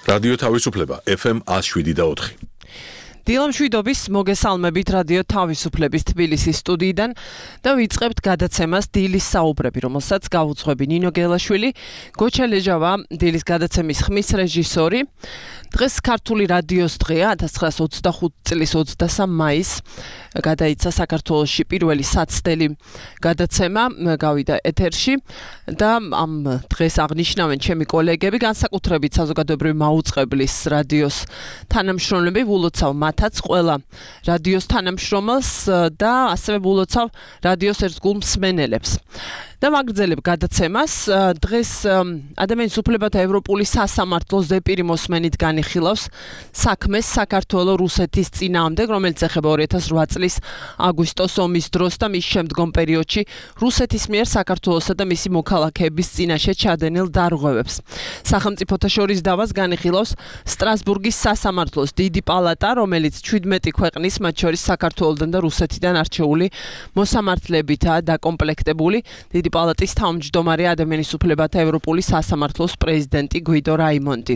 რადიო თავისუფლება FM 107.4. დილამშვიდობის მოგესალმებით რადიო თავისუფლების თბილისის სტუდიიდან და ვიწყებთ გადაცემას დილის საუბრები, რომელსაც გავუძღვები ნინო გელაშვილი, გოჩა ლეჟავა, დილის გადაცემის ხმის რეჟისორი. დღეს ქართული რადიოს დღეა, 1925 წლის 23 მაისს გადაიცა საქართველოში პირველი საცდელი გადაცემა, გავიდა ეთერში და ამ დღეს აღნიშნავენ ჩემი კოლეგები, განსაკუთრებით საზოგადოებრივი მაუწყებლის რადიოს თანამშრომლები, ვილოცავ მათაც ყველა რადიოს თანამშრომელს და ასევე ვილოცავ რადიოს ერთგულ მსმენელებს. და მაგრძელებ გადაცემას დღეს ადამიანის უფლებათა ევროპული სასამართლოს ზეპირი მოსმენით განიხილავს საქმეს საქართველოს რუსეთის წინააღმდეგ, რომელიც ეხება 2008 წლის აგვისტოს ომის დროს და მის შემდგომ პერიოდში რუსეთის მიერ საქართველოსა და მისი მოქალაქეების წინაშე ჩადენილ დარღვევებს. სახელმწიფოთა შორის დავას განიხილავს სტრასბურგის სასამართლოს დიდი პალატა, რომელიც 17 ქვეყნის, მათ შორის საქართველოსთან და რუსეთიდან არჩეული მოსამართლებითაა დაკომპლექტებული. დიდი პალატის თავმჯდომარე ადამიანის უფლებათა ევროპული სასამართლოს პრეზიდენტი გვიდო რაიმონდი.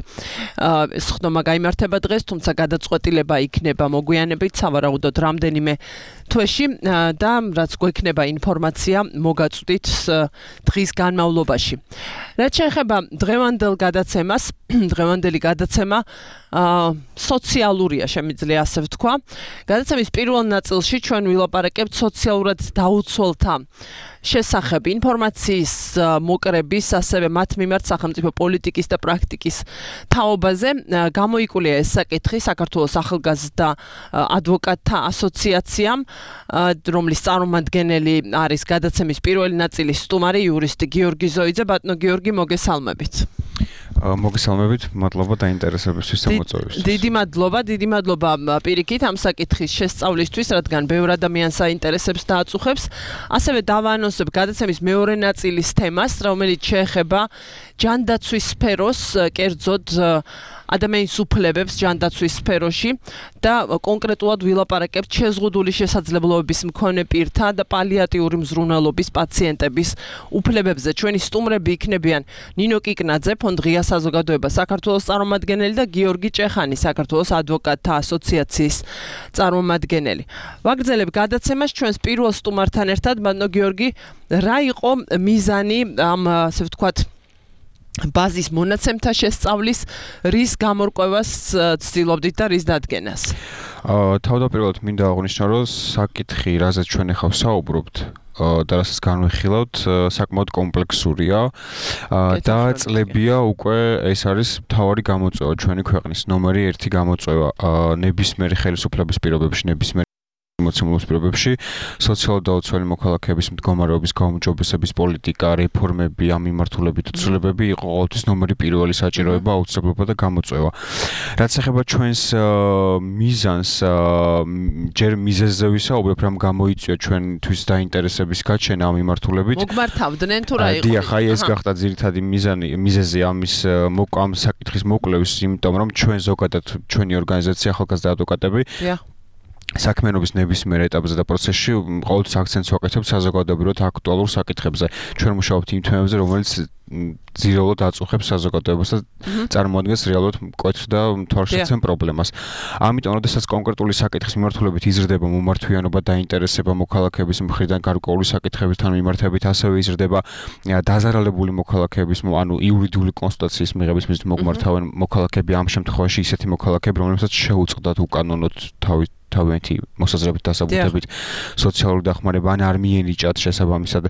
ეს ხდომა გაიმართება დღეს, თუმცა გადაწყვეტილება იქნება მოგვიანებით, სავარაუდოდ რამდენიმე თვეში და რაც გვექნება ინფორმაცია მოგაწვდით დღის განმავლობაში. რაც შეეხება დღევანდელ გადაცემას, დღევანდელი გადაცემა სოციალურია, შემიძლია ასე ვთქვა. გადაცემის პირველ ნაწილში ჩვენ ვილაპარაკებთ სოციალურად დაუცველთა შესახებ ინფორმაციის მოკრების, ასევე მათ მიმართ სახელმწიფო პოლიტიკის და პრაქტიკის თაობაზე. გამოიკვლია ეს საკითხი საქართველოს ახალგაზრდა ადვოკატთა ასოციაციამ, რომლის წარმომადგენელი არის გადაცემის პირველი ნაწილის სტუმარი იურისტი გიორგი ზოიძე. ბატონო გიორგი, მოგესალმებით. მოგესალმებით, მადლობა დაინტერესებისთვის და მოწვევისთვის. დიდი მადლობა პირიქით ამ საკითხის შესწავლისთვის, რადგან ბევრ ადამიანს აინტერესებს და აწუხებს. ასევე დავაანონსებ გადაცემის მეორე ნაწილის თემას, რომელიც შეეხება ჯანდაცვის სფეროს, კერძოდ ადამიანის უფლებებს ჯანდაცვის სფეროში და კონკრეტულად ვილაპარაკებთ შეზღუდული შესაძლებლობების მქონე პირთა და პალიატიური მზრუნველობის პაციენტების უფლებებზე. ჩვენი სტუმრები იქნებიან ნინო კიკნაძე, ფონდ ღია საზოგადოება საქართველოს წარმომადგენელი და გიორგი ჭეხანი, საქართველოს ადვოკატთა ასოციაციის წარმომადგენელი. ვაგრძელებ გადაცემას ჩვენს პირველ სტუმართან ერთად. ბატონო გიორგი, რა იყო მიზანი ამ, ასე ვთქვათ, ბაზის მონაცემთა შესწავლის, რის გამორკვევას ცდილობდით და რის დადგენას? თავდაპირველად მინდა აღვნიშნო, რომ საკითხი, რაზეც ჩვენ ახლა ვსაუბრობთ და რასაც განვიხილავთ, საკმაოდ კომპლექსურია და წლებია უკვე ეს არის მთავარი გამოწვევა ჩვენი ქვეყნის ნომერი 1 გამოწვევა ნებისმიერი ხელისუფლების პირობებში, ნებისმიერი მოცემულობის პირობებში, სოციალურად დაუცველი მოქალაქეების მდგომარეობის გაუმჯობესების პოლიტიკა, რეფორმები, ამ მიმართულებით ცვლილებები იყო ყოველთვის ნომერი პირველი საჭიროება, აუცილებლობა და გამოწვევა. რაც ეხება ჩვენს მიზანს, ჯერ მიზეზზე ვისაუბრებ, რამ გამოიწვია ჩვენთვის დაინტერესების გაჩენა ამ მიმართულებით. მოგმართავდნენ თუ რა იყო? დიახ, ეს გახდა ძირითადი მიზეზი ამის ამ საკითხის მოკვლევის, იმიტომ რომ ჩვენ ზოგადად ჩვენი ორგანიზაცია ახალგაზრდა ადვოკატები საქმიანობის ნებისმიერ ეტაპზე და პროცესში ყოველთვის აქცენტს ვაკეთებთ საზოგადოებრივად აქტუალურ საკითხებზე. ჩვენ მუშაობთ იმ თემებზე, რომელიც ძირეულად აწუხებს საზოგადოებას და წარმოადგენს რეალურად მკვეთრ და თვალშეცემ პრობლემას. ამიტომ, როდესაც კონკრეტული საკითხის მიმართულებით იზრდება მომართვიანობა და ინტერესება მოქალაქეების მხრიდან გარკვეული საკითხებთან მიმართებით, ასევე იზრდება დაზარალებული მოქალაქეების, ანუ იურიდიული კონსულტაციის მიღების მიზნით მოგმართავენ მოქალაქეები, ამ შემთხვევაში ისეთი მოქალაქეები, რომლებსაც შეუწყდათ უკანონოდ თავიანთი მოსაზრებით დასაბუთებით სოციალური დახმარება ან არ მიენიჭათ შესაბამისად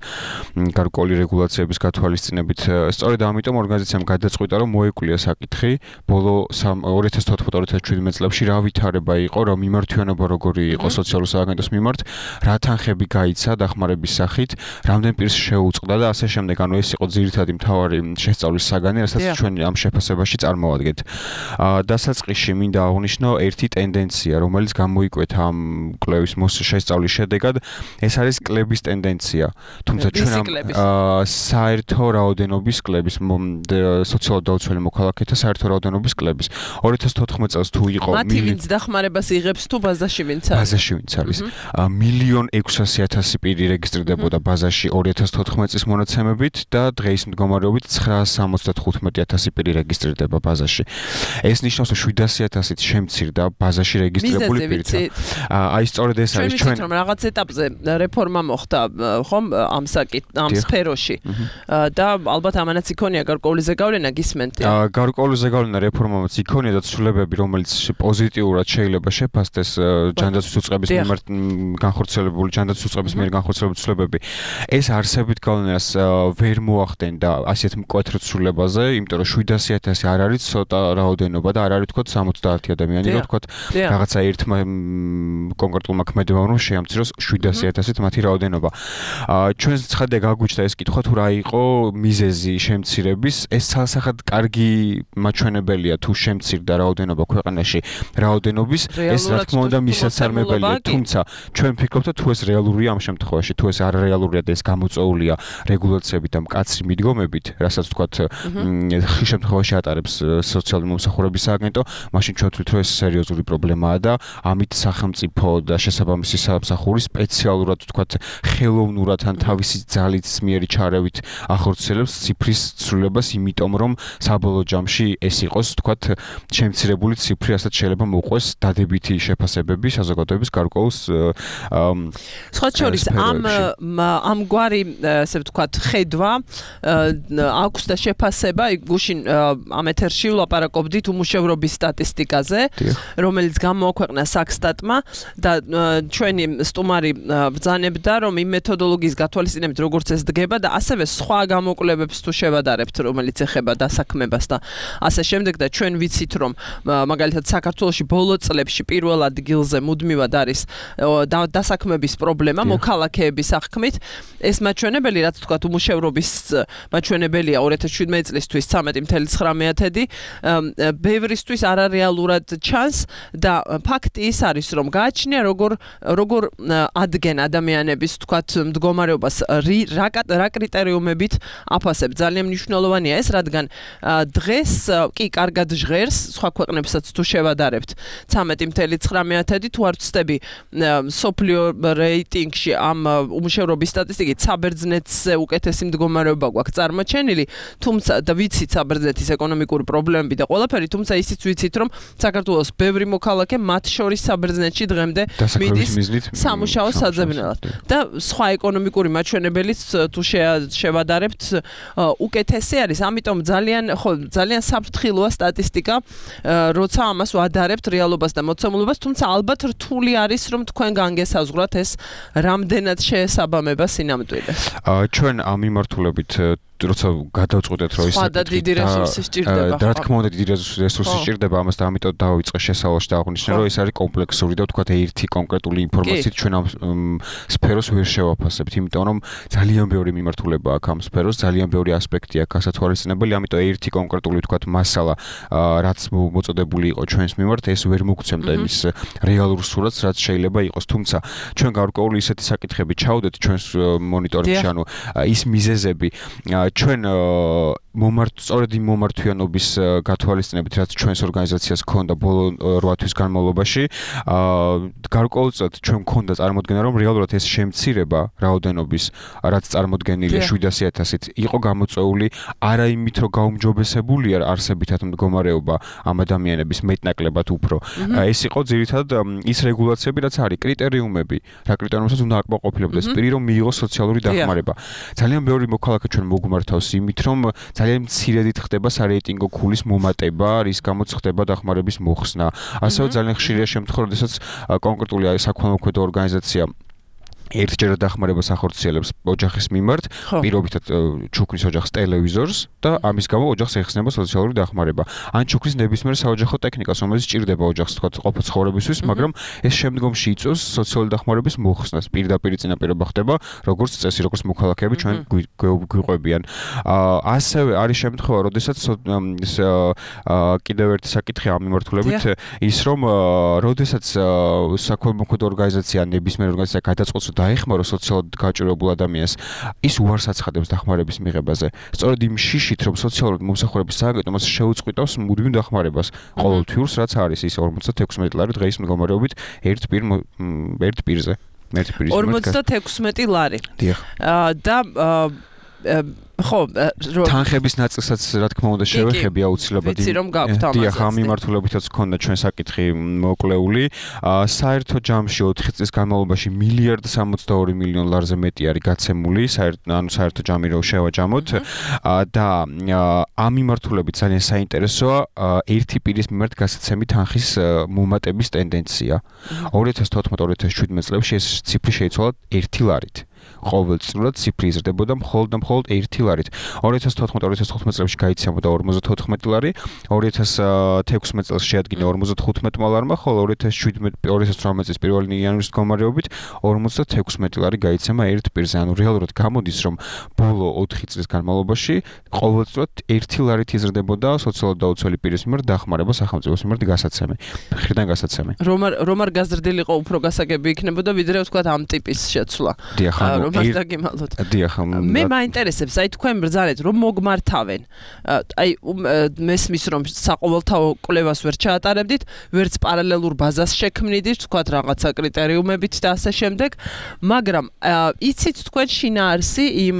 გარკვეული რეგულაციების გათვალისწინებით. სწორედ ამიტომ ორგანიზაციამ გადაწყვიტა, რომ მოეკვლიათ საკითხი ბოლო 2014-2017 წლებში რა ვითარება იყო, რა მიმართვიანობა როგორი იყო სოციალური სააგენტოს მიმართ, რა თანხები გაიცა დახმარების სახით, რამდენ პირს შეუწყდა და ასე შემდეგ. ანუ ეს იყო ძირითადი მთავარი შესწავლის საგანი, რასაც ჩვენ ამ შეფასებაში წარმოვადგენთ. დასაწყისში მინდა აღვნიშნო ერთი ტენდენცია, რომელიც გამოიკვეთა ამ კვლევის შესწავლის შედეგად, ეს არის კლების ტენდენცია. თუმცა ჩვენ ამ საერთო რაოდენობის რაოდენობის კლების, სოციალურად დაუცველი მოქალაქეთა საერთო რაოდენობის კლების. 2014 წელს თუ იყო მათი ვინც დახმარებას იღებს თუ ბაზაში ვინც არის? ბაზაში ვინც არის. 1,600,000 პირი რეგისტრირდებოდა ბაზაში 2014 წლის მონაცემებით და დღეის მდგომარეობით 975,000 პირი რეგისტრირდება ბაზაში. ეს ნიშნავს, რომ 700,000-ით შემცირდა ბაზაში რეგისტრირებული პირთა. აი სწორედ ეს არის ჩვენ რომ რაღაც ეტაპზე რეფორმა მოხდა ხომ ამ სფეროში და ალბათ ამანაც იქონია გარკვეული ზეგავლენა გისმენთ. გარკვეული ზეგავლენა რეფორმამაც იქონია და ცვლილებები, რომელიც პოზიტიურად შეიძლება შეფასდეს ჯანდაცვის უწყების მიმართ განხორციელებული ცვლილებები. ეს არსებით გავლენას ვერ მოახდენდა ასეთ მკვეთრ ცვლილებაზე, იმიტომ რომ 700,000 არ არის ცოტა რაოდენობა და არ არის თქო 70 ადამიანი, რომ თქო რაღაცა ერთმა კონკრეტულმა ქმედებამ რომ შეამციროს 700,000-ით მათი რაოდენობა. ჩვენს ცხადია გაგვიჩნდა ეს კითხვა თუ რა იყო მიზეზი შემცირების. ეს ცალსახად კარგი მაჩვენებელია თუ შემცირდა რაოდენობა ქვეყანაში რაოდენობის, ეს რა თქმა უნდა მისაცემებელია, თუმცა ჩვენ ვფიქრობთ თუ ეს რეალურია ამ შემთხვევაში, თუ ეს არარეალურია და ეს გამოწვეულია რეგულაციებით და მკაცრი მიდგომებით, რასაც თქვათ ხშირ შემთხვევაში ატარებს სოციალური მომსახურების სააგენტო, მაშინ ჩვენ ვთვლით რომ ეს სერიოზული პრობლემაა და ამით სახელმწიფო და შესაბამისი სამსახური სპეციალურად თქვათ ხელოვნურად ან თავისი ძალით მიერი ჩარევით ახორციელებს ციფრის ცვლილებას, იმიტომ რომ საბოლოო ჯამში ეს იყოს თქვათ შემცირებული ციფრი, რასაც შეიძლება მოყვეს დადებითი შეფასებები საზოგადოების გარკვეულ სხვა შორის ამგვარი ესე ვთქვათ ხედვა აქვს და შეფასება გუშინ ამ ეთერში ვლაპარაკობდით უმუშევრობის სტატისტიკაზე, რომელიც გამოაქვეყნა საქსტატმა და ჩვენი სტუმარი ბრძანებდა, რომ იმ მეთოდოლოგიის გათვალისწინებით როგორც ეს დგება და ასევე სხვა გამოკვლევებს თუ შევადარებთ, რომელიც ეხება დასაქმებას და ასე შემდეგ და ჩვენ ვიცით, რომ მაგალითად საქართველოში ბოლო წლებში პირველ ადგილზე მუდმივად არის დასაქმების პრობლემა მოქალაქეების აღქმით. ეს მაჩვენებელი, რაც თქვათ უმუშევრობის მაჩვენებელია 2017 წლისთვის 13.9, ბევრისთვის არარეალურად ჩანს და ფაქტი ის არის, რომ გააჩნია როგორ ადგენ ადამიანების თქვათ მდგომარეობას რა კრიტერიუმებით აფასებ. ძალიან მნიშვნელოვანია ეს, რადგან დღეს კი კარგად ჟღერს, სხვა ქვეყნებსაც თუ შევადარებთ 13.9 თუ არ ვცდები სოფლიო რეიტინგში ამ უმუშევრობის სტატისტიკით საბერძნეთზე უკეთესი მდგომარეობა გვაქვს წარმოჩენილი, თუმცა და ვიცით საბერძნეთის ეკონომიკური პრობლემები და ყველაფერი, თუმცა ისიც ვიცით, რომ საქართველოს ბევრი მოქალაქე მათ შორის საბერძნეთში დღემდე მიდის სამუშაო საძებნელად და სხვა ეკონომიკური მაჩვენებელიც თუ შევადარებთ უკეთესი არის. ამიტომ ძალიან საფრთხილოა სტატისტიკა, როცა ამას ვადარებთ რეალობას და მოცემულობას, თუმცა ალბათ რთული არის, რომ თქვენ განგესაზღვრათ ეს რამდენად შეესაბამება სინამდვილეს. ჩვენ ამ მიმართულებით როცა გადავწყვეტეთ რომ ის და დიდი რესურსი სჭირდება. და რა თქმა უნდა დიდი რესურსი სჭირდება, ამას და ამიტომ დავიწყე შესავალში და აღვნიშნე რომ ეს არის კომპლექსური და თქვათ ერთი კონკრეტული ინფორმაციით ჩვენ ამ სფეროს ვერ შევაფასებთ, იმიტომ რომ ძალიან ბევრი მიმართულება აქვს ამ სფეროს, ძალიან ბევრი ასპექტი აქვს გასათვალისწინებელი, ამიტომ ერთი კონკრეტული თქვათ მასალა რაც მოწოდებული იყო ჩვენს მიმართ, ეს ვერ მოგცემდა იმის რეალურ სურათს, რაც შეიძლება იყოს. თუმცა ჩვენ გარკვეული ისეთი საკითხები ჩავდეთ ჩვენს მონიტორინგში, ანუ ის მიზეზები ჩვენ სწორედ იმ მომართვიანობის გათვალისწინებით, რაც ჩვენს ორგანიზაციას ჰქონდა ბოლო 8 თვის განმავლობაში, გარკვეულწილად ჩვენ ჰქონდა წარმოდგენა, რომ რეალურად ეს შემცირება რაოდენობის, რაც წარმოდგენილია 700,000-ით, იყო გამოწვეული არა იმით, რომ გაუმჯობესებულია არსებითად მდგომარეობა ამ ადამიანების მეტნაკლებად უფრო. ეს იყო ძირითადად ის რეგულაციები, რაც არის კრიტერიუმები, რა კრიტერიუმებსაც უნდა აკმაყოფილებდეს პირი, რომ მიიღოს სოციალური დახმარება. ძალიან ბევრი მოქალაქე ჩვენ მოგმართავს იმით, რომ ძალიან მცირედით ხდება სარეიტინგო ქულის მომატება, რის გამოც ხდება დახმარების მოხსნა. ასევე ძალიან ხშირია შემთხვევა, როდესაც კონკრეტული საქველმოქმედო ორგანიზაცია ერთჯერად დახმარებას ახორციელებს ოჯახის მიმართ, პირობითად ჩუქნის ოჯახს ტელევიზორს და ამის გამო ოჯახს ეხსნება სოციალური დახმარება. ან ჩუქნის ნებისმიერ საოჯახო ტექნიკას, რომელიც სჭირდება ოჯახს თქვათ ყოფა ცხოვრებისთვის, მაგრამ ეს შემდგომში იწვევს სოციალური დახმარების მოხსნას. პირდაპირ წინაპირობა ხდება, როგორც წესი, როგორც მოქალაქეები ჩვენ გვიყვებიან. ასევე არის შემთხვევა, როდესაც კიდევ ერთი საკითხი ამ მიმართულებით ის, რომ როდესაც საქველმოქმედო ორგანიზაცია ნებისმიერ ორგანიზაცია გადაწყვეტს დაეხმარო სოციალურად გაჭირებულ ადამიანს, ის უარს აცხადებს დახმარების მიღებაზე. სწორედ იმ შიშით, რომ სოციალურად მომსახურების სააგენტო მას შეუწყვითავს მუდმივ დახმარებას. ყოველთვიურს რაც არის ის 56 ლარი დღეის მდგომარეობით ერთ პირზე. 56 ლარი. დიახ. და ხო, თანხების ნაწილსაც რა თქმა უნდა შევეხები აუცილებლად. ვიცი რომ გაქვთ ამაზე. დიახ, ამ მიმართულებითაც ჰქონდა ჩვენ საკითხი მოკლეული. საერთო ჯამში 4 წლის განმავლობაში 1.62 ლარზე მეტი არის გაცემული, საერთო ჯამი რო შევაჯამოთ და ამ მიმართულებით ძალიან საინტერესოა ერთი პირის მიმართ გასაცემი თანხის მომატების ტენდენცია. 2014-2017 წლებში ეს ციფრი შეიცვალა 1 ლარით. ყოველწლიურად ციფრი იზრდებოდა მხოლოდ 1 ლარით. 2014-2015 წლებში გაიცემოდა 54 ლარი, 2016 წელს შეადგინა 55 ლარმა, ხოლო 2018 წლის 1 იანვრის მდგომარეობით 56 ლარი გაიცემა ერთ პირზე. ანუ რეალურად გამოდის, რომ ბოლო 4 წლის განმავლობაში ყოველწლიურად 1 ლარით იზრდებოდა სოციალურად დაუცველი პირის მიმართ დახმარება სახელმწიფოს მიმართ გასაცემი. მხრიდან გასაცემი. რომ არ გაზრდილიყო უფრო გასაგები იქნებოდა, ვიდრე ვთქვათ ამ ტიპის შეცვლა. დიახ, რომ არ დაგიმალოთ. დიახ, მე მაინტერესებს, აი თქვენ ბრძანეთ რომ მოგმართავენ. აი მესმის რომ საყოველთაო კვლევას ვერ ჩაატარებდით, ვერც პარალელურ ბაზას შექმნიდით, ვთქვათ რაღაცა კრიტერიუმებით და ასე შემდეგ, მაგრამ იცით თქვენ შინაარსი იმ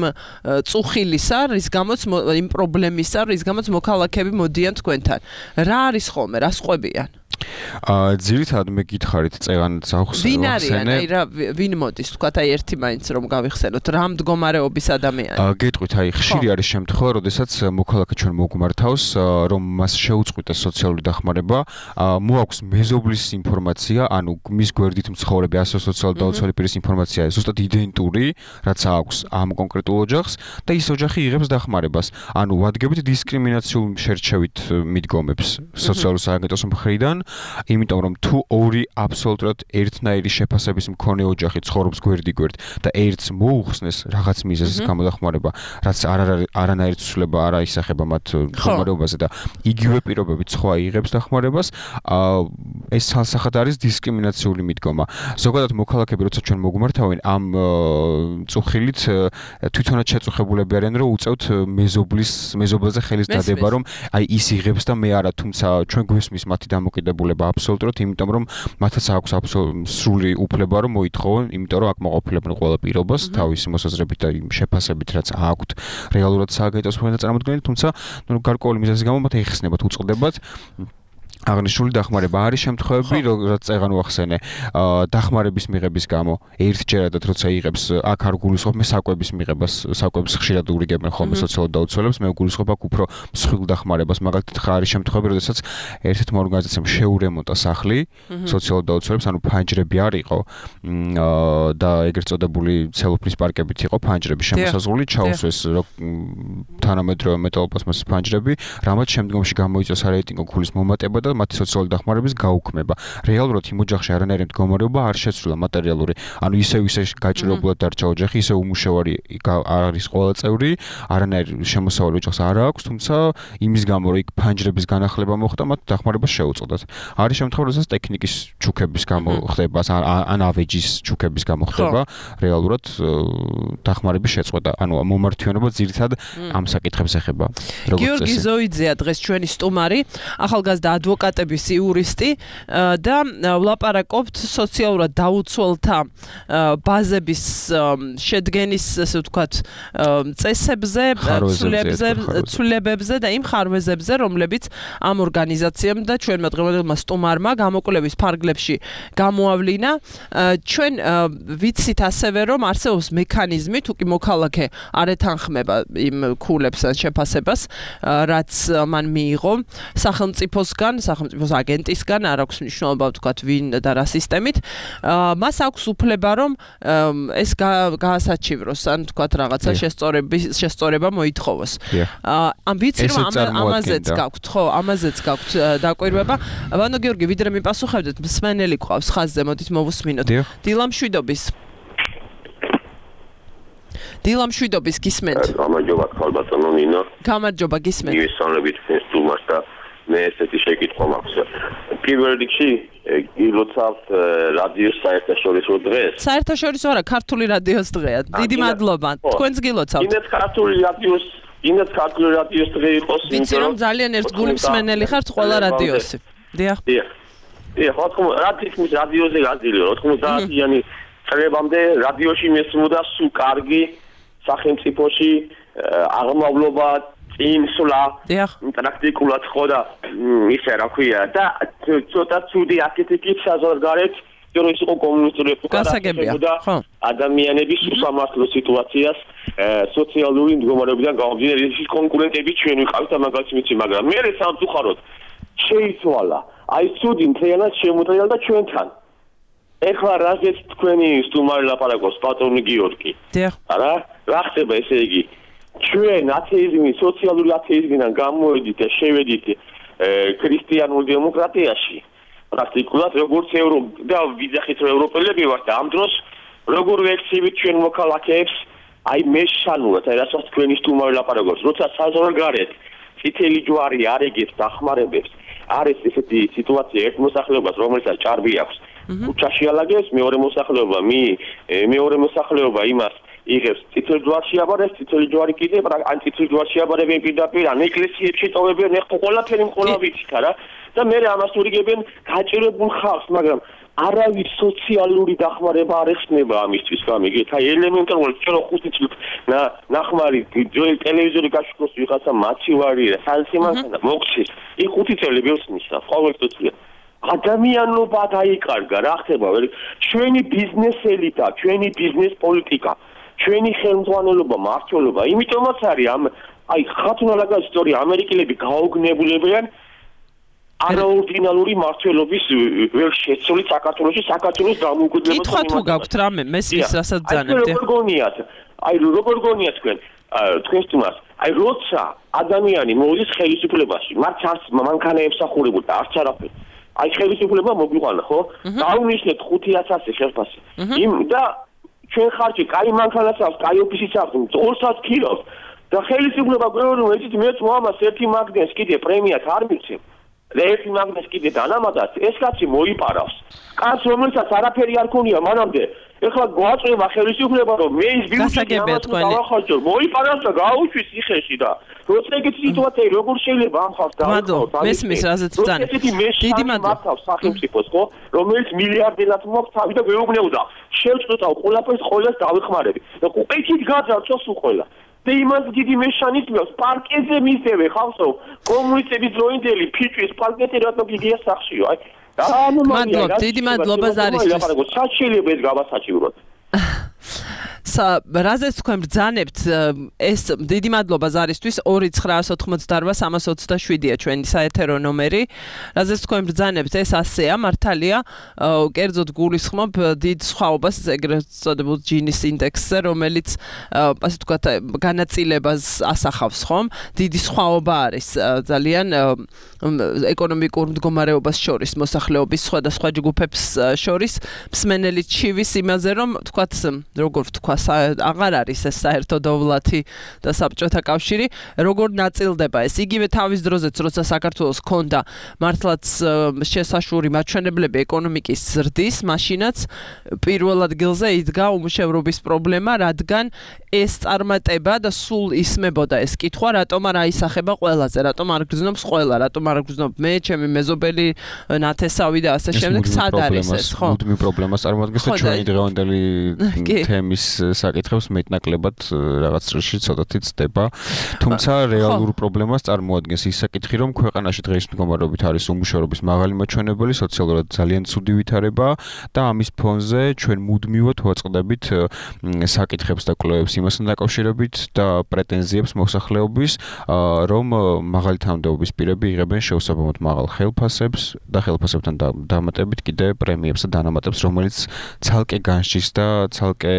წუხილისა, რის გამოც იმ პრობლემისა, რის გამოც მოქალაქეები მოდიან თქვენთან. რა არის ხოლმე, რა სყვებიან? ძირითადად მე გითხარით წეღანაც ახსენე. ვინ არიან? აი რა ვინ მოდის? თქვათ აი ერთი მაინც რომ გავიხსენოთ, რა მდგომარეობის ადამიანი. გეტყვით, აი ხშირი არის შემთხვევა, როდესაც მოქალაქე ჩვენ მოგმართავს, რომ მას შეუწყვიტეს სოციალური დახმარება, მოაქვს მეზობლის ინფორმაცია, ანუ მის გვერდით მცხოვრები ასე სოციალურად დაუცველი პირის ინფორმაცია, ზუსტად იდენტური, რაც აქვს ამ კონკრეტულ ოჯახს და ის ოჯახი იღებს დახმარებას. ანუ ვადგებით დისკრიმინაციულ შერჩევით მიდგომებს სოციალურ სააგენტოს მხრიდან. იმიტომ რომ თუ ორი აბსოლუტურად ერთნაირი შეფასების მქონე ოჯახი ცხოვრობს გვერდ-გვერდ და ერთს მოუხსნეს რაღაც მიზეზის გამოდახმარება, რაც არანაირი ცვლილება არ აისახება მათ მდგომარეობაზე და იგივე პირობებით სხვა იღებს დახმარებას, ეს ცალსახად არის დისკრიმინაციული მიდგომა. ზოგადად მოქალაქეები როცა ჩვენ მოგმართავენ ამ წუხილით თვითონაც შეწუხებულები არიან, რომ უწევთ მეზობლაზე ხელის დადება, რომ აი ის იღებს და მე არა, თუმცა ჩვენ გვესმის მათი დამოკიდებულება აბსოლუტურად, იმიტომ რომ მათაც აქვს სრული უფლება რომ მოითხოვონ, იმიტომ რომ აქ მოყოფილებენ ყველა პირობას თავისი მოსაზრებით და იმ შეფასებით, რაც აქვთ რეალურად სააგენტოს მხრიდან წარმოქმნილი, თუმცა გარკვეული მიზეზის გამო მათ ეხსნებათ, უწყდებათ აღნიშნული დახმარება. არის შემთხვევები, რაც წეღან ვახსენე, დახმარების მიღების გამო ერთჯერადად როცა იღებს, აქ არ გულისხმობ მე საკვების მიღებას, საკვებს ხშირად ურიგებენ ხოლმე სოციალურ დაუცველებს, მე გულისხმობ აქ უფრო მსხვილ დახმარებას. მაგალითად, არის შემთხვევები, როდესაც ერთ-ერთმა ორგანიზაციამ შეურემონტა სახლი სოციალურ დაუცველებს, ანუ ფანჯრები არ იყო და ეგრეთ წოდებული ცელოფნის პარკებით იყო ფანჯრები შემოსაზღვრული, ჩაუსვეს თანამედროვე მეტალოპლასმასის ფანჯრები, რამაც შემდგომში გამოიწვია სარეიტინგო ქულის მომატება და მათი სოციალური დახმარების გაუქმება. რეალურად იმ ოჯახში არანაირი მდგომარეობა არ შეცვლილა მატერიალური, ანუ ისე გაჭირებულად დარჩა ოჯახი, ისე უმუშევარი არის ყველა წევრი, არანაირი შემოსავალი ოჯახს არ აქვს, თუმცა იმის გამო რომ იქ ფანჯრების განახლება მოხდა, მათ დახმარება შეუწყდათ. არის შემთხვევა, როდესაც ტექნიკის ჩუქების გამო ხდება, ან ავეჯის ჩუქების გამო ხდება, რეალურად დახმარების შეწყვეტა. ანუ მომართვიანობა ძირითადად ამ საკითხებს ეხება. გიორგი ზოიძეა დღეს ჩვენი სტუმარი, ახალგაზრდა ადვოკატების იურისტი და ვლაპარაკობთ სოციალურად დაუცველთა ბაზების შედგენის, ასე ვთქვათ, წესებზე, ცვლილებებზე და იმ ხარვეზებზე, რომლებიც ამ ორგანიზაციამ და ჩვენმა დღევანდელმა სტუმარმა გამოკვლევის ფარგლებში გამოავლინა. ჩვენ ვიცით ასევე, რომ არსებობს მექანიზმი, თუ კი მოქალაქე არ ეთანხმება იმ ქულებს ან შეფასებას, რაც მან მიიღო სახელმწიფოსგან, სახელმწიფოს აგენტისგან, არ აქვს მნიშვნელობა ვთქვათ ვინ და რა სისტემით, მას აქვს უფლება რომ ეს გაასაჩივროს, ან ვთქვათ რაღაცა შესწორება მოითხოვოს. ამ ვიცი რომ ამაზეც გაქვთ, ხო, ამაზეც გაქვთ დაკვირვება. ვანო გიორგი, ვიდრე მიპასუხებდეთ, მსმენელი ყავს ხაზზე, მოდით მოვუსმინოთ. დილამშვიდობის გისმენთ. გამარჯობა, ხალბატონო ნინო. გამარჯობა, გისმენთ. მივესალმებით სტუმარს და მე ესეთი შეკითხვა მაქვს. პირველ რიგში გილოცავთ რადიოს საერთაშორისო დღეს. საერთაშორისო არა, ქართული რადიოს დღეა. დიდი მადლობა. თქვენც გილოცავთ. კიდეც ქართული რადიოს დღე იყოს. ვიცი რომ ძალიან ერთგული მსმენელი ხართ ყველა რადიოსი. დიახ. ხო, რადიოს რადიოზე გაძლიო 90-იანი წლებამდე რადიოში მესმოდა სულ კარგი სახელმწიფოში აღმავლობა წინსვლა პრაქტიკულად ხო და ისე რა ქვია და ცოტა ცუდი აკეთებით საზღვარგარეთ რომ ის იყო კომუნისტური ეპოქა ადამიანების უსამართლო სიტუაციას სოციალური მდგომარეობიდან გამომდინარე ის კონკურენტები ჩვენ ვიყავით და მაგალითად ვიცი მაგრამ მე სამწუხაროდ შეიცვალა აი ცუდი მთლიანად შემოწელა და ჩვენთან ეხლა რაზეც თქვენი სტუმარი ლაპარაკობს პატრონი გიორგი არა რა ხდება ესე იგი ჩვენ ათეიზმი სოციალური ათეიზმიდან გამოვედით და შევედით ქრისტიანულ დემოკრატიაში პრაქტიკულად როგორც და ვიძახით რომ ევროპელები ვართ და ამ დროს როგორ ვექცევით ჩვენ მოქალაქეებს აი მეშანურად აი რასაც თქვენი სტუმარი ლაპარაკობს როცა საზღვარგარეთ წითელი ჯვარი არეგებს დახმარებებს არის ესეთი სიტუაცია ერთ მოსახლეობას რომელსაც ჭარბი აქვს ქუჩაში ალაგებს მეორე მოსახლეობა იმას იღებს წითელ ჯვარში აბარებს წითელი ჯვარი კიდე ან წითელ ჯვარში აბარებენ პირდაპირ ან ეკლესიებში ტოვებენ ეხლა ყველაფერი ყველა ვიცით არა და მე ამას ურიგებენ გაჭირებულ ხალხს მაგრამ არავის სოციალური დახმარება არ ეხსნება ამისთვის გამიგეთ აი ელემენტარულად ჩვენ 5 წელი ნახმარი ტელევიზორი გაშუქოს ვიღაცა მაცივარი და სალსიმანქანა მოხდეს იქ 5 წელი ბევრს ნიშნავს ყოველწლიურად ადამიანობა დაიკარგა რა ხდება ჩვენი ბიზნესელი და ჩვენი ბიზნეს პოლიტიკა ჩვენი ხელმძღვანელობა მართლობა იმიტომაც არის აი ხათუნალაგა ისტორია ამერიკელები გაოგნებულებიან არაორდინალური მართლობის ვერ შეცვლით საქართველოში საქართველოს დამოუკიდებლობას კითხვა თუ გაქვთ რამე მესმის რასაც ძანებთ აი როგორ გონიათ თქვენ სტუმარს აი როცა ადამიანი მოდის ხელისუფლებაში მათ არც მანქანაებს ახურებულ და არც არაფერი აი ხელისუფლება მოგვიყვანა ხო დაუნიშნეთ 500 ხელფასი და ჩვენ ხარჯი კაი მანქანას აქვს კაი ოფისიც აქვს 200 კილოს და ხელისუფლება გვეუბნება რომ ეცით მეც მომას ერთი მაგნეს კიდე პრემიას არ მიცემ და ერთი მაგნეს კიდე დანამატად ეს კაცი მოიპარავს კაც რომელსაც არაფერი არ ქონია მანამდე ეხლა გვაწვევა ხელისუფლება რომ მე ის ბიუჯეტი ამას დავახარჯო მოიპარავს და გაუჩვის იხეში და როცა ეგეთი სიტუაცია როგორ შეიძლება ამ ხალხს დავახარჯო მესმის რაზეც ბრძანებთ დიდი მადლობა სახელმწიფოს ხო რომელიც მილიარდელად მოხდა თავი და გვეუბნებოდა შევწყვეტავ ყველაფერს ყოველს დავიხმარები და ყეთით გაძარცვას უყველა და იმას დიდი მეშანიზმებს პარკეზე მისდევე ხალხო კომუნისტების დროინდელი ფიჭვის პარკეტი რატომ გიგია სახშიო აი მადლობა დიდი მადლობა ზარისთვის საჩილებ ეს გავასაჩივროთ რაზეც თქვენ ბრძანებთ ეს დიდი მადლობა ზარისთვის 2988327-ია ჩვენი საეთერო ნომერი რაზეც თქვენ ბრძანებთ ეს ასეა მართალია კერძოდ გულისხმობ დიდ სხვაობას ეგრეთ წოდებულ ჯინის ინდექსზე რომელიც ასე ვთქვათ განაწილებას ასახავს ხომ დიდი სხვაობა არის ძალიან ეკონომიკურ მდგომარეობას შორის მოსახლეობის სხვადასხვა ჯგუფებს შორის მსმენელი ჩივის იმაზე რომ ვთქვათ როგორ ვთქვა აღარ არის ეს საერთო დოვლათი და საბჭოთა კავშირი როგორ ნაწილდება ეს იგივე თავის დროზეც როცა საქართველოს ჰქონდა მართლაც შესაშური მაჩვენებლები ეკონომიკის ზრდის მაშინაც პირველ ადგილზე იდგა უმუშევრობის პრობლემა რადგან ეს წარმატება და სულ ისმებოდა ეს კითხვა რატომ არ აისახება ყველაზე რატომ არ გრძნობს ყველა რატომ არ გრძნობ მე ჩემი მეზობელი ნათესავი და ასე შემდეგ სად არის ეს ხო მუდმივ პრობლემას წარმოადგენს და ჩვენი დღევანდელი თემის საკითხებს მეტნაკლებად რაღაც წრეში ცოტათი ცდება თუმცა რეალურ პრობლემას წარმოადგენს ის საკითხი რომ ქვეყანაში დღეს მდგომარეობით არის უმუშევრობის მაღალი მაჩვენებელი სოციალურად ძალიან ცუდი ვითარება და ამის ფონზე ჩვენ მუდმივად ვაწყდებით საკითხებს და კვლევებს იმასთან დაკავშირებით და პრეტენზიებს მოსახლეობის რომ მაღალი თანამდებობის პირები იღებენ შეუსაბამოდ მაღალ ხელფასებს და ხელფასებთან დამატებით კიდე პრემიებს და დანამატებს რომელიც ცალკე განსჯის და ცალკე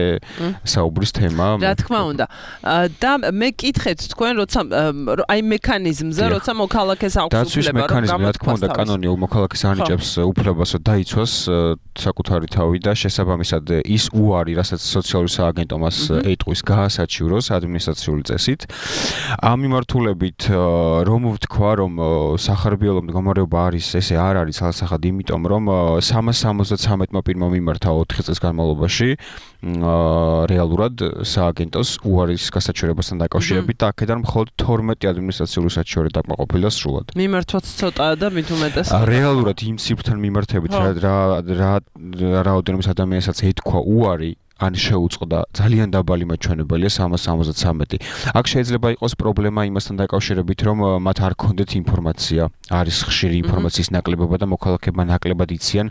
საუბრის თემა. რა თქმა უნდა. და მე კითხეთ თქვენ როცა აი მექანიზმზე, როცა მოქალაქეს აქვს დაცვის უფლება, მექანიზმი, რა თქმა უნდა, კანონი მოქალაქეს ანიჭებს უფლებას, რომ დაიცვას საკუთარი თავი და შესაბამისად ის უარი, რასაც სოციალური სააგენტო მას ეტყვის, გაასაჩივროს ადმინისტრაციული წესით. ამ მიმართულებით რომ ვთქვა, რომ სახარბიელო მდგომარეობა არის, ესე არ არის ცალსახად, იმიტომ რომ 373-მა პირმა მიმართა 4 წლის განმავლობაში რეალურად სააგენტოს უარის გასაჩივრებასთან დაკავშირებით და აქედან მხოლოდ 12 ადმინისტრაციული საჩივრე დაკმაყოფილდა სრულად. მიმართვაც ცოტაა და მით უმეტეს. რეალურად იმ სიბრთან მიმართებით რა რაოდენობის ადამიანსაც ეთქვა უარი ან შეუწყდა ძალიან დაბალი მაჩვენებელია 373. აქ შეიძლება იყოს პრობლემა იმასთან დაკავშირებით, რომ მათ არ ქონდეთ ინფორმაცია, არის ხშირი ინფორმაციის ნაკლებობა და მოქალაქეებმა ნაკლებად იციან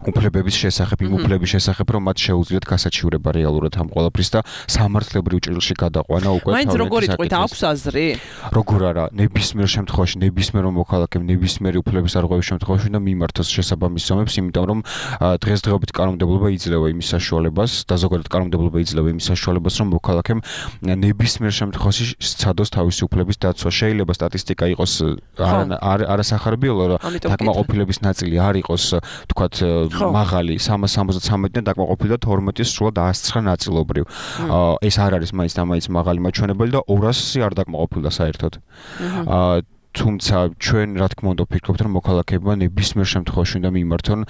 უფლებების შესახებ, იმ უფლების შესახებ, რომ მათ შეუძლიათ გასაჩივრება რეალურად ამ ყველაფრის და სამართლებრივ ჭრილში გადაყვანა უკვე მაინც როგორ იტყვით, აქვს აზრი? როგორ არა, ნებისმიერ შემთხვევაში, ნებისმიერ მოქალაქემ ნებისმიერი უფლების არღვევის შემთხვევაში და მიმართოს შესაბამის ზომებს, იმიტომ რომ დღესდღეობით კანონმდებლობა იძლევა იმის საშუალებას და ზოგადად კანონმდებლობა იძლევა იმის საშუალებას, რომ მოქალაქემ ნებისმიერ შემთხვევაში სცადოს თავისი უფლების დაცვა. შეიძლება სტატისტიკა იყოს არასახარბიელო, რომ დაკმაყოფილების ნაწილი არ იყოს, თქვათ მაღალი 373-დან დაკმაყოფილდა 12-ის სრულად 109 ნაწილობრივ. ეს არ არის მაინც და მაინც მაღალი მაჩვენებელი და 200-ი არ დაკმაყოფილდა საერთოდ. თუმცა ჩვენ რა თქმა უნდა ვფიქრობთ, რომ მოქალაქეებმა ნებისმიერ შემთხვევაში უნდა მიმართონ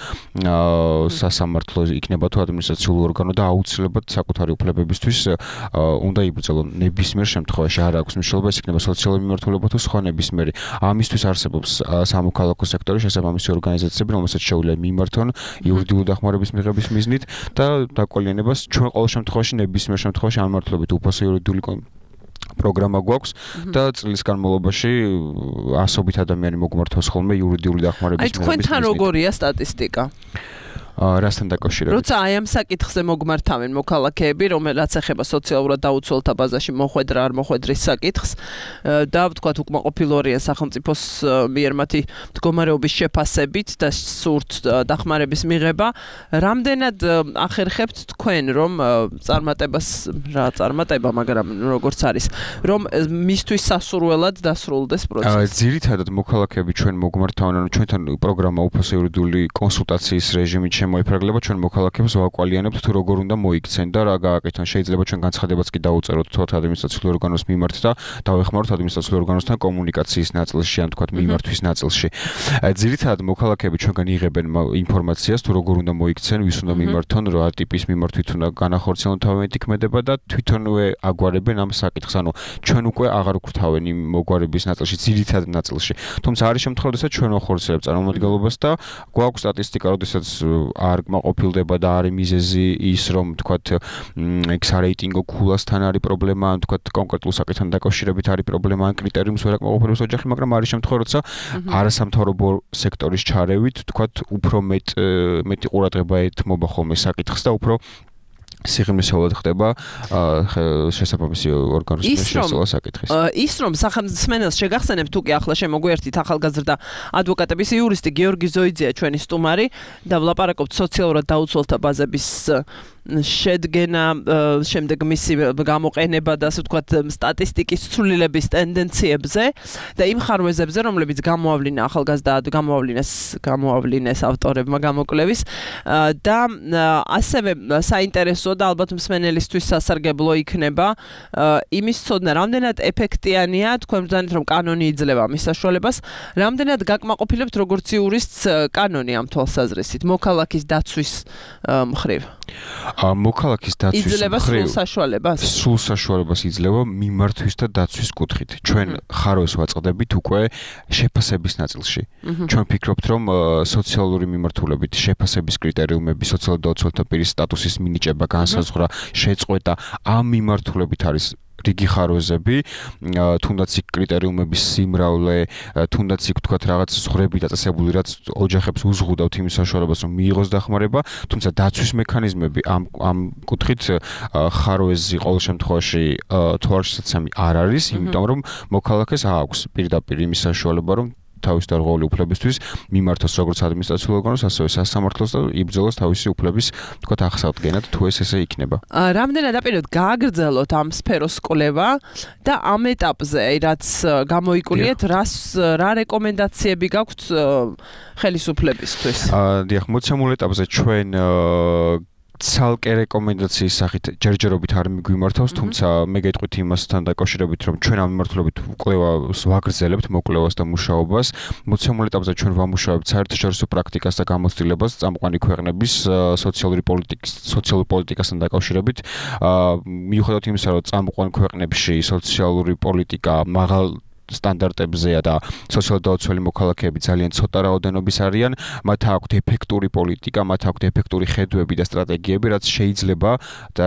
სასამართლო იქნება თუ ადმინისტრაციული ორგანო და აუცილებლად საკუთარი უფლებებისთვის უნდა იბრძოლონ. ნებისმიერ შემთხვევაში არ აქვს მნიშვნელობა, ეს იქნება სოციალური მიმართულება თუ სხვა ნებისმიერი. ამისთვის არსებობს სამოქალაქო სექტორის შესაბამისი ორგანიზაციები, რომელსაც შეუძლია მიმართონ იურიდიული დახმარების მიღების მიზნით და დაკვალიანებას ჩვენ ყოველ შემთხვევაში ნებისმიერ შემთხვევაში ამ მართლობით უფასო იურიდიული პროგრამა გვაქვს და წლის განმავლობაში ასობით ადამიანი მოგმართავს ხოლმე იურიდიული დახმარების მიღების მიზნით. აი თქვენთან როგორია სტატისტიკა? რასთან დაკავშირებით? როცა აი ამ საკითხზე მოგმართავენ მოქალაქეები, რომელსაც ეხება სოციალურად დაუცველთა ბაზაში მოხვედრა არ მოხვედრის საკითხს და ვთქვათ უკმაყოფილოა სახელმწიფოს მიერ მათი მდგომარეობის შეფასებით და სურთ დახმარების მიღება, რამდენად ახერხებთ თქვენ რომ წარმატება, მაგრამ როგორც არის, რომ მისთვის სასურველად დასრულდეს პროცესი? ძირითადად მოქალაქეები ჩვენ მოგმართავენ, ანუ ჩვენთან პროგრამა უფასო იურიდიული კონსულტაციის რეჟიმით მოიფრაგლება ჩვენ მოქალაქეებს ვაკვალიანებთ თუ როგორ უნდა მოიქცენ და რა გააკეთონ. შეიძლება ჩვენ განცხადებაც კი დაუწეროთ თოთ ადმინისტრაციული ორგანოს მიმართ და დავეხმაროთ ადმინისტრაციული ორგანოსთან კომუნიკაციის ნაწილში, ან თქვათ მიმართვის ნაწილში. ძირითადად მოქალაქეები ჩვენგან იღებენ ინფორმაციას თუ როგორ უნდა მოიქცენ, ვის უნდა მიმართონ, რა ტიპის მიმართვით უნდა განახორციელონ თავიანთი ქმედება და თვითონვე აგვარებენ ამ საკითხს. ანუ ჩვენ უკვე აღარ გვქრთავენ იმ მოგვარების ნაწილში, ძირითადად ნაწილში. თუმცა არის შემთხვევა, როდესაც ჩვენ ვახორციელებთ წარმომადგენლობას და გვაქვს სტატისტიკა, როდესაც არ გმაყოფილდება და არის მიზეზი ის, რომ თქვათ ექსარეიტინგო ქულასთან არის პრობლემა, ან თქვათ კონკრეტულ საკითხთან დაკავშირებით არის პრობლემა, ან კრიტერიუმს ვერ აკმაყოფილებს ოჯახი, მაგრამ არის შემთხვევა, როცა არასამთავრობო სექტორის ჩარევით, თქვათ უფრო მეტი ყურადღება ეთმობა ხოლმე საკითხს და უფრო სიღრმისეულად ხდება შესაბამისი ორგანოს შესწავლა საკითხის. ის რომ სახელმწიფოს შეგახსენებ თუ კი ახლა შემოგვიერთით ახალგაზრდა ადვოკატების იურისტი გიორგი ზოიძეა ჩვენი სტუმარი და ვლაპარაკობთ სოციალურად დაუცველთა ბაზების შედგენა, შემდეგ მისი გამოყენება და ასე ვთქვათ სტატისტიკის ცვლილების ტენდენციებზე და იმ ხარვეზებზე, რომლებიც გამოავლინეს ავტორებმა გამოკვლევის და ასევე საინტერესო და ალბათ მსმენელისთვის სასარგებლო იქნება იმის ცოდნა, რამდენად ეფექტიანია თქვენ ბრძანეთ, რომ კანონი იძლევა მის საშუალებას, რამდენად გაკმაყოფილებთ როგორც იურისტს კანონი ამ თვალსაზრისით, მოქალაქის დაცვის მხრივ. მოქალაქის დაცვის იძლევა სრულ საშუალებას? სრულ საშუალებას იძლევა მიმართვის და დაცვის კუთხით. ჩვენ ხარვეს ვაწყდებით უკვე შეფასების ნაწილში. ჩვენ ვფიქრობთ, რომ სოციალური მიმართულებით შეფასების კრიტერიუმები, სოციალურად დაუცველთა პირის სტატუსის მინიჭება, განსაზღვრა, შეწყვეტა ამ მიმართულებით არის რიგი ხარვეზები, თუნდაც იქ კრიტერიუმების სიმრავლე, თუნდაც იქ თქვათ რაღაც ზღვრები დაწესებული, რაც ოჯახებს უზღუდავთ იმის საშუალებას, რომ მიიღოს დახმარება, თუმცა დაცვის მექანიზმები ამ კუთხით ხარვეზი ყოველ შემთხვევაში თვალშისაცემი არ არის, იმიტომ რომ მოქალაქეს აქვს პირდაპირ იმის საშუალება, რომ თავის დარღვეული უფლებისთვის მიმართოს როგორც ადმინისტრაციულ ორგანოს, ასევე სასამართლოს და იბრძოლოს თავისი უფლების თქვათ აღსადგენად, თუ ესე იქნება. რამდენად აპირებთ გააგრძელოთ ამ სფეროს კვლევა და ამ ეტაპზე, რაც გამოიკულიეთ, რა რეკომენდაციები გაქვთ ხელისუფლებისთვის? დიახ, მოცემულ ეტაპზე ჩვენ ცალკე რეკომენდაციის სახით ჯერჯერობით არ მიგვიმართავს, თუმცა მე გეტყვით იმასთან დაკავშირებით, რომ ჩვენ ამ მიმართულებით კვლევას ვაგრძელებთ, მოკვლევას და მუშაობას. მოცემულ ეტაპზე ჩვენ ვამუშავებთ საერთაშორისო პრაქტიკას და გამოცდილებას წამყვანი ქვეყნების სოციალური პოლიტიკასთან დაკავშირებით. მიუხედავად იმისა, რომ წამყვან ქვეყნებში სოციალური პოლიტიკა მაღალ სტანდარტებზეა და სოციალ-დაუცველი მოქალაქეები ძალიან ცოტა რაოდენობის არიან, მათ აქვთ ეფექტური პოლიტიკა, მათ აქვთ ეფექტური ხედვები და სტრატეგიები, რაც შეიძლება და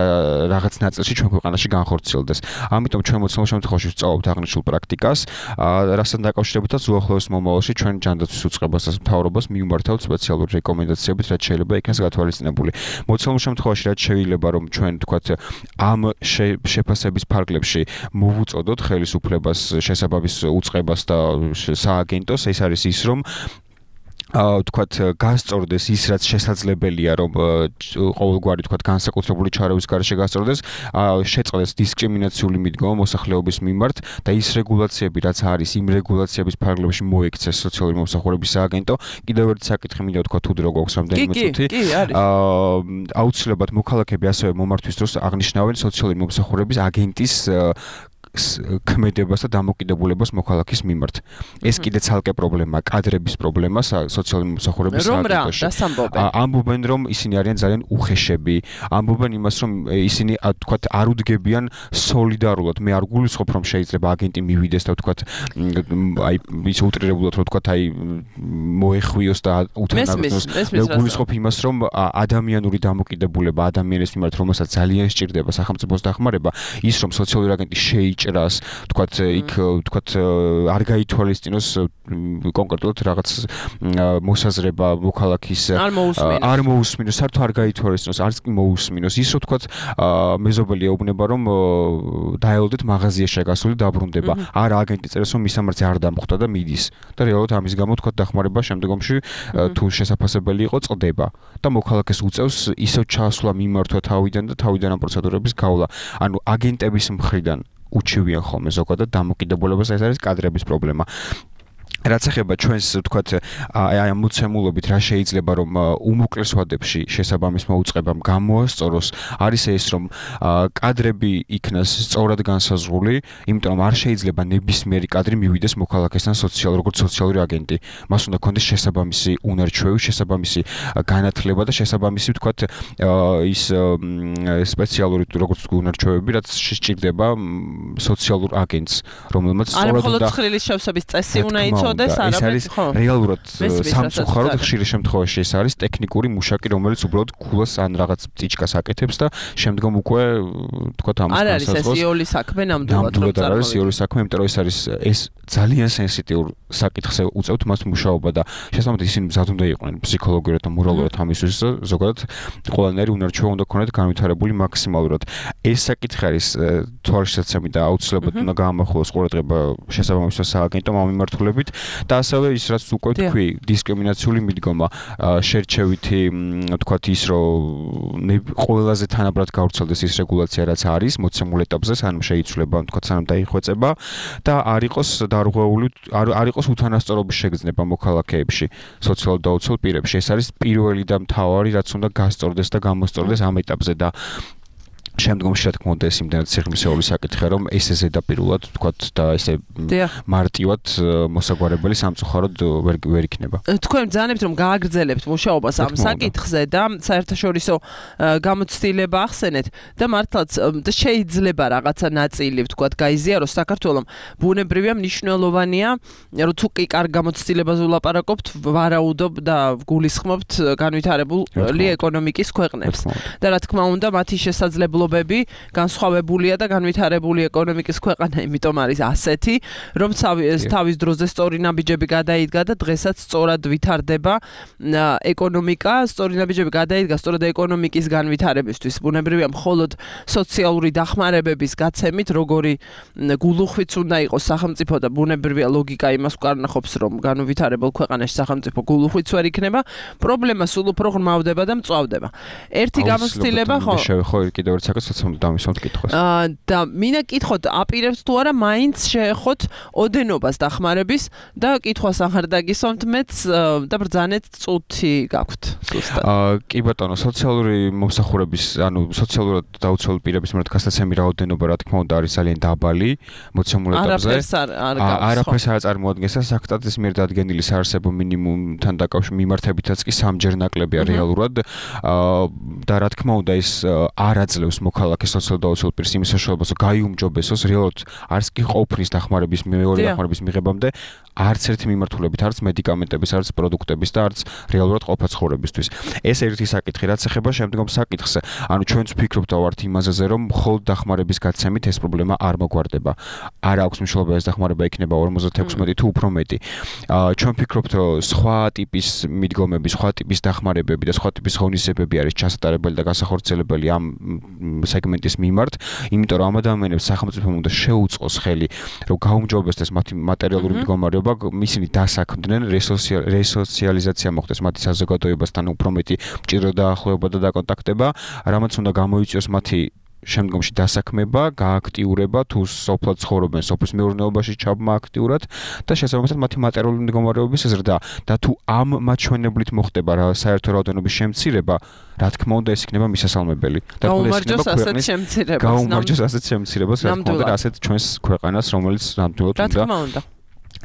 რაღაც ნაწილში ჩვენ ქვეყანაში განხორციელდეს. ამიტომ ჩვენ მოცემულ შემთხვევაში ვსწავლობთ აღნიშნულ პრაქტიკას, რასთან დაკავშირებითაც უახლოეს მომავალში ჩვენ ჯანდაცვის უწყებას და მთავრობას მივმართავთ სპეციალური რეკომენდაციებით, რაც შეიძლება იქნას გათვალისწინებული. მოცემულ შემთხვევაში რაც შეიძლება რომ ჩვენ თქვათ ამ შეფასების ფარგლებში მოვუწოდოთ ხელისუფლებას შესაბამის უწყებას და სააგენტოს, ეს არის ის რომ თქვათ გასწორდეს ის რაც შესაძლებელია რომ ყოველგვარი თქვათ განსაკუთრებული ჩარევის გარეშე გასწორდეს, შეწყდეს დისკრიმინაციული მიდგომა მოსახლეობის მიმართ და ის რეგულაციები რაც არის იმ რეგულაციების ფარგლებში მოექცეს სოციალური მომსახურების სააგენტო. კიდევ ერთი საკითხი მინდა ვთქვა თუ დრო გვაქვს რამდენიმე წუთი. აუცილებლად მოქალაქეები ასევე მომართვის დროს აღნიშნავენ სოციალური მომსახურების აგენტის ქმედებას და დამოკიდებულებას მოქალაქის მიმართ. ეს კიდე ცალკე პრობლემაა, კადრების პრობლემა სოციალური მომსახურების სააგენტოში. ამბობენ რომ ისინი არიან ძალიან უხეშები, ამბობენ იმას რომ ისინი თქვათ არ უდგებიან სოლიდარულად. მე არ გულისხმობ რომ შეიძლება აგენტი მივიდეს და თქვათ აი ის უტრირებულად რომ თქვათ აი მოეხვიოს და უთანაგრძნოს. მე გულისხმობ იმას რომ ადამიანური დამოკიდებულება ადამიანის მიმართ რომელსაც ძალიან სჭირდება სახელმწიფოს დახმარება, ის რომ სოციალური აგენტი შეიჭრას, თქვათ იქ თქვათ არ გაითვალისწინოს კონკრეტულად რაღაც მოსაზრება მოქალაქის არ მოусმინოს, საერთოდ არ გაითვალისწინოს, არც კი მოусმინოს. ის რომ თქვათ მეზობელი ეუბნება რომ დაელოდეთ მაღაზიაში გასული დაბრუნდება. არა აგენტი წერს რომ მისამართზე არ დამხვდა და მიდის. და რეალურად ამის გამო თქვათ დახმარება შემდგომში თუ შესაძლებელი იყო წდება და მოქალაქეს უწევს ისევ ჩასვლა მიმართვა თავიდან და თავიდან ამ პროცედურების გავლა. ანუ აგენტების მხრიდან უჩივიან ხოლმე ზოგადად დამოკიდებულებას, ეს არის კადრების პრობლემა. რაც ეხება ჩვენს თქვათ აი ამ მოცემულობით რა შეიძლება რომ უმოკლეს ვადებში შესაბამის მოუწყებამ გამოასწოროს, არის ეს რომ კადრები იქნას სწორად განსაზღვრული, იმიტომ რომ არ შეიძლება ნებისმიერი კადრი მივიდეს მოქალაქესთან როგორც სოციალური აგენტი. მას უნდა ქონდეს შესაბამისი უნარჩვევი, შესაბამისი განათლება და შესაბამისი თქვათ ის სპეციალური როგორც უნარჩვევები, რაც სჭირდება სოციალურ აგენტს, რომელმაც სწორად უნდა მხოლოდ შევსების წესი უნდა იცოდეს. ეს არის რეალურად სამწუხაროდ ხშირი შემთხვევაში ეს არის ტექნიკური მუშაკი, რომელიც უბრალოდ ქულას ან რაღაც წიჩკას აკეთებს და შემდგომ უკვე თქვათ ამას არ არის ეს იული საქმე ნამდვილად რომ არ არის იული საქმე, იმიტომ რომ ეს ძალიან სენსიტიურ საკითხზე უწევთ მას მუშაობა და შესაბამისად ისინი მზად უნდა იყვნენ ფსიქოლოგიურად და მორალურად ამისთვის ზოგადად ყველანაირი უნარჩვევა უნდა ქონათ განვითარებული მაქსიმალურად. ეს საკითხი არის თვალშისაცემი და აუცილებლად უნდა გაამახვილოს ყურადღება შესაბამისად სააგენტომ ამ მიმართულებით. და ასევე ის რაც უკვე თქვი დისკრიმინაციული მიდგომა შერჩევითი თქვათ ის რომ ყველაზე თანაბრად გავრცელდეს ის რეგულაცია რაც არის მოცემულ ეტაპზე სანამ შეიცვლება თქვათ სანამ დაიხვეწება და არ იყოს დარღვეული არ იყოს უთანასწორობის შეგრძნება მოქალაქეებში სოციალურ დაუცველ პირებში. ეს არის პირველი და მთავარი რაც უნდა გასწორდეს და გამოსწორდეს ამ ეტაპზე და შემდგომში რა თქმა უნდა ეს იმდენად სიღრმისეული საკითხია რომ ესე ზედაპირულად თქვათ და ესე მარტივად მოსაგვარებელი სამწუხაროდ ვერ იქნება. თქვენ ბრძანებთ რომ გააგრძელებთ მუშაობას ამ საკითხზე და საერთაშორისო გამოცდილება ახსენეთ და მართლაც შეიძლება რაღაცა ნაწილი თქვათ გაიზიაროს საქართველოს ბუნებრივია მნიშვნელოვანია რომ თუ კი კარგ გამოცდილებას ვლაპარაკობთ ვარაუდობ და გულისხმობთ განვითარებული ეკონომიკის ქვეყნებს და რა თქმა უნდა მათი შესაძლებლობა ფერხმელობები, განსხვავებულია და განვითარებული ეკონომიკის ქვეყანა, იმიტომ არის ასეთი, რომ თავის დროზე სწორი ნაბიჯები გადაიდგა და დღესაც სწორად ვითარდება ეკონომიკა, სწორი ნაბიჯები გადაიდგა სწორად ეკონომიკის განვითარებისთვის. ბუნებრივია მხოლოდ სოციალური დახმარებების გაცემით, როგორი გულუხვიც უნდა იყოს სახელმწიფო და ბუნებრივია ლოგიკა იმას ვკარნახობს, რომ განვითარებულ ქვეყანაში სახელმწიფო გულუხვიც ვერ იქნება, პრობლემა სულ უფრო ღრმავდება და მწვავდება. ერთი გამოცდილება ხო? შევეხო კიდევ ერთ საკითხს, რომ დამისვამთ კითხვას. და მინდა კითხოთ, აპირებთ თუ არა მაინც შეეხოთ ოდენობას დახმარების და კითხვას აღარ დაგისვამთ მეც და ბრძანეთ წუთი გაქვთ ზუსტად. კი ბატონო, სოციალური მომსახურების, ანუ სოციალურად დაუცველი პირების მიმართ გასაცემი რაოდენობა, რა თქმა უნდა, არის ძალიან დაბალი მოცემულ ეტაპზე. არაფერს არ წარმოადგენს და საკუთარის მიერ დადგენილი საარსებო მინიმუმთან დაკავშირებით მიმართებითაც კი სამჯერ ნაკლებია რეალურად. და რა თქმა უნდა, ეს არ აძლევს მოქალაქეს სოციალურად დაუცველ პირს იმის საშუალებას, რომ გაიუმჯობესოს რეალურად არც კი ყოფნის დახმარების მეორე დახმარების მიღებამდე არც ერთი მიმართულებით, არც მედიკამენტების, არც პროდუქტების და არც რეალურად ყოფაცხოვრებისთვის. ეს ერთი საკითხი, რაც ეხება შემდგომ საკითხს. ანუ ჩვენც ვფიქრობთ ვართ იმაზე, რომ მხოლოდ დახმარების გაცემით ეს პრობლემა არ მოგვარდება. არ აქვს მნიშვნელობა ეს დახმარება იქნება 56 თუ უფრო მეტი. ჩვენ ვფიქრობთ, რომ სხვა ტიპის მიდგომები, სხვა ტიპის დახმარებები და სხვა ტიპის ღონისძიებები არის ჩასატარებელი და განსახორციელებელი ამ სეგმენტის მიმართ, იმიტომ რომ ამ ადამიანებს სახელმწიფომ უნდა შეუწყოს ხელი, რომ გაუმჯობესდეს მათი მატერიალური მდგომარეობა, ისინი დასაქმდნენ, რესოციალიზაცია მოხდეს მათი საზოგადოებასთან უფრო მეტი მჭიდრო დაახლოება და დაკონტაქტება, რამაც უნდა გამოიწვიოს მათი შემდგომში დასაქმება, გააქტიურება, თუ სოფლად ცხოვრობენ, სოფლის მეურნეობაში ჩაბმა აქტიურად და შესაბამისად მათი მატერიალური მდგომარეობის ზრდა და თუ ამ მაჩვენებლით მოხდება რა საერთო რაოდენობის შემცირება, რა თქმა უნდა ეს იქნება მისასალმებელი. გაუმარჯოს ასეთ შემცირებას. გაუმარჯოს ასეთ შემცირებას, რა თქმა უნდა ასეთ ჩვენს ქვეყანას, რომელიც ნამდვილად უნდა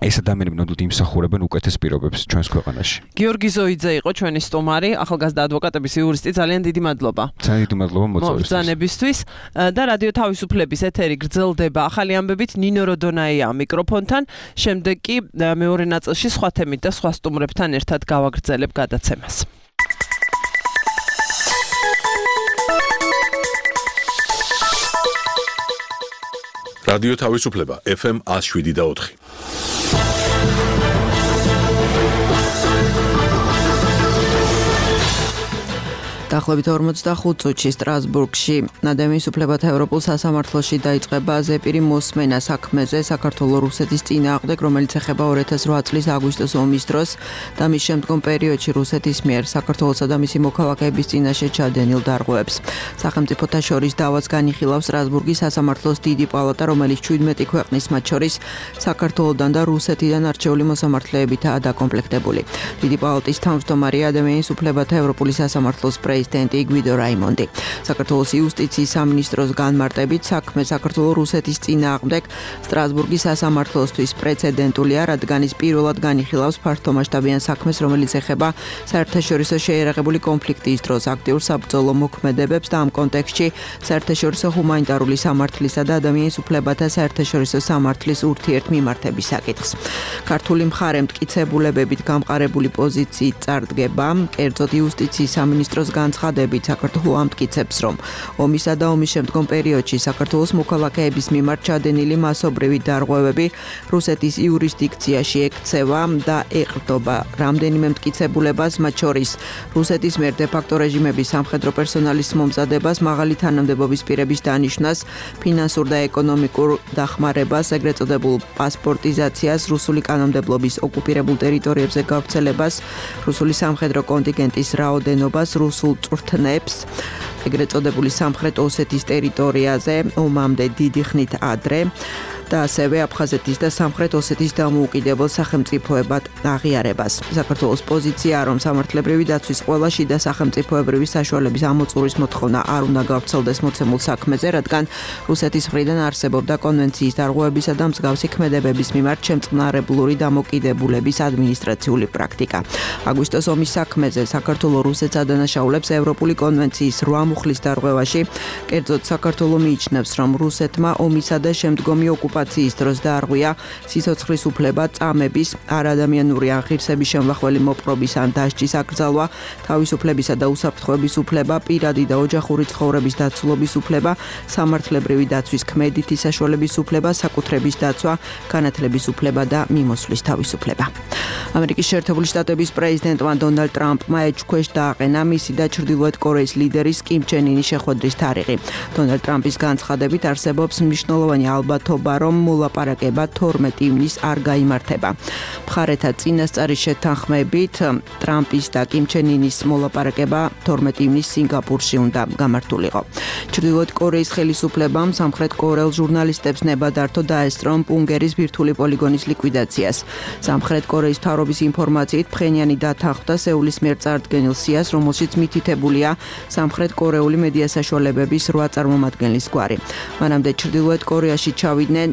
ეს ადამიანები ნამდვილად იმსახურებენ უკეთეს პირობებს ჩვენს ქვეყანაში. გიორგი ზოიძე იყო ჩვენი სტუმარი, ახალგაზრდა ადვოკატების იურისტი. ძალიან დიდი მადლობა. ძალიან დიდი მადლობა მოწვევისთვის. და რადიო თავისუფლების ეთერი გრძელდება ახალი ამბებით ნინო როდონაია მიკროფონთან. შემდეგ კი მეორე ნაწილში სხვა თემით და სხვა სტუმრებთან ერთად გავაგრძელებ გადაცემას. რადიო თავისუფლება FM 107.4. დაახლოებით 45 წუთში სტრასბურგში ადამიანის უფლებათა ევროპულ სასამართლოში დაიწყება ზეპირი მოსმენა საქმეზე საქართველო-რუსეთის წინააღმდეგ, რომელიც ეხება 2008 წლის აგვისტოს ომის დროს და მის შემდგომ პერიოდში რუსეთის მიერ საქართველოსა და მისი მოქალაქეების წინაშე ჩადენილ დარღვევებს. სახელმწიფოთა შორის დავას განიხილავს სტრასბურგის სასამართლოს დიდი პალატა, რომელიც 17 ქვეყნის, მათ შორის საქართველოდან და რუსეთიდან არჩეული მოსამართლეებითაა დაკომპლექტებული. დიდი პალატის თავმჯდომარეა ადამიანის უფლებათა ევროპული სასამართლოს პრეზიდენტი გვიდო რაიმონდი. საქართველოს იუსტიციის სამინისტროს განმარტებით საქმე საქართველო-რუსეთის წინააღმდეგ სტრასბურგის სასამართლოსთვის პრეცედენტულია, რადგან ის პირველად განიხილავს ფართომასშტაბიან საქმეს, რომელიც ეხება საერთაშორისო შეიარაღებული კონფლიქტის დროს აქტიურ საბრძოლო მოქმედებებს და ამ კონტექსტში საერთაშორისო ჰუმანიტარული სამართლისა და ადამიანის უფლებათა საერთაშორისო სამართლის ურთიერთმიმართების საკითხს. ქართული მხარე მტკიცებულებებით გამყარებული პოზიციით წარდგება, კერძოდ იუსტიციის სამინისტროს განცხადებით საქართველო ამტკიცებს, რომ ომისა და ომის შემდგომ პერიოდში საქართველოს მოქალაქეების მიმართ ჩადენილი მასობრივი დარღვევები რუსეთის იურისდიქციაში ექცევა და ეყრდნობა რამდენიმე მტკიცებულებას, მათ შორის რუსეთის მიერ დე-ფაქტო რეჟიმების სამხედრო პერსონალის მომზადებას, მაღალი თანამდებობის პირების დანიშვნას, ფინანსურ და ეკონომიკურ დახმარებას, ეგრეთ წოდებულ პასპორტიზაციას, რუსული კანონმდებლობის ოკუპირებულ ტერიტორიებზე გავრცელებას, რუსული სამხედრო კონტინგენტის რაოდენობას, რუსულ წვრთნებს, ეგრეთ წოდებული სამხრეთ ოსეთის ტერიტორიაზე ომამდე დიდი ხნით ადრე და ასევე აფხაზეთის და სამხრეთ ოსეთის დამოუკიდებელ სახელმწიფოებად აღიარებას. საქართველოს პოზიციაა, რომ სამართლებრივი დაცვის ყველა შიდა სახელმწიფოებრივი საშუალების ამოწურის მოთხოვნა არ უნდა გავრცელდეს მოცემულ საქმეზე, რადგან რუსეთის მხრიდან არსებობდა კონვენციის დარღვევებისა და მსგავსი ქმედებების მიმართ შემწყნარებლური დამოკიდებულების ადმინისტრაციული პრაქტიკა. აგვისტოს ომის საქმეზე საქართველო რუსეთს ადანაშაულებს ევროპული კონვენციის 8 მუხლის დარღვევაში, კერძოდ საქართველო მიიჩნევს, რომ რუსეთმა ომისა და შემდგომი ოკუპაციის ემანციპაციის დროს დაარღვია სიცოცხლის უფლება, წამების, არადამიანური აღირსების შემლახველი მოპყრობის ან დასჯის აკრძალვა, თავისუფლებისა და უსაფრთხოების უფლება, პირადი და ოჯახური ცხოვრების დაცულობის უფლება, სამართლებრივი დაცვის ქმედითი საშუალების უფლება, საკუთრების დაცვა, განათლების უფლება და მიმოსვლის თავისუფლება. ამერიკის შეერთებული შტატების პრეზიდენტმა დონალდ ტრამპმა ეჭქვეშ დააყენა მისი და ჩრდილოეთ კორეის ლიდერის კიმ ჩენ ინის შეხვედრის თარიღი. დონალდ ტრამპის განცხადებით არსებობს მნიშვნელოვანი ალბათობა, რომ მოლაპარაკება 12 ივნისს არ გაიმართება. მხარეთა წინასწარი შეთანხმებით ტრამპის და კიმ ჩენ ინის მოლაპარაკება 12 ივნისს სინგაპურში უნდა გამართულიყო. ჩრდილოეთ კორეის ხელისუფლებამ სამხრეთ კორეელ ჟურნალისტებს ნება დართო დაესწრონ პუნგერის ბირთვული პოლიგონის ლიკვიდაციას. სამხრეთ კორეის მთავრობის ინფორმაციით ფხენიანი დათანხმდა სეულის მიერ წარდგენილ სიას, რომელშიც მითითებულია სამხრეთ კორეული მედია საშუალებების 8 წარმომადგენლის გვარი. მანამდე ჩრდილოეთ კორეაში ჩავიდნენ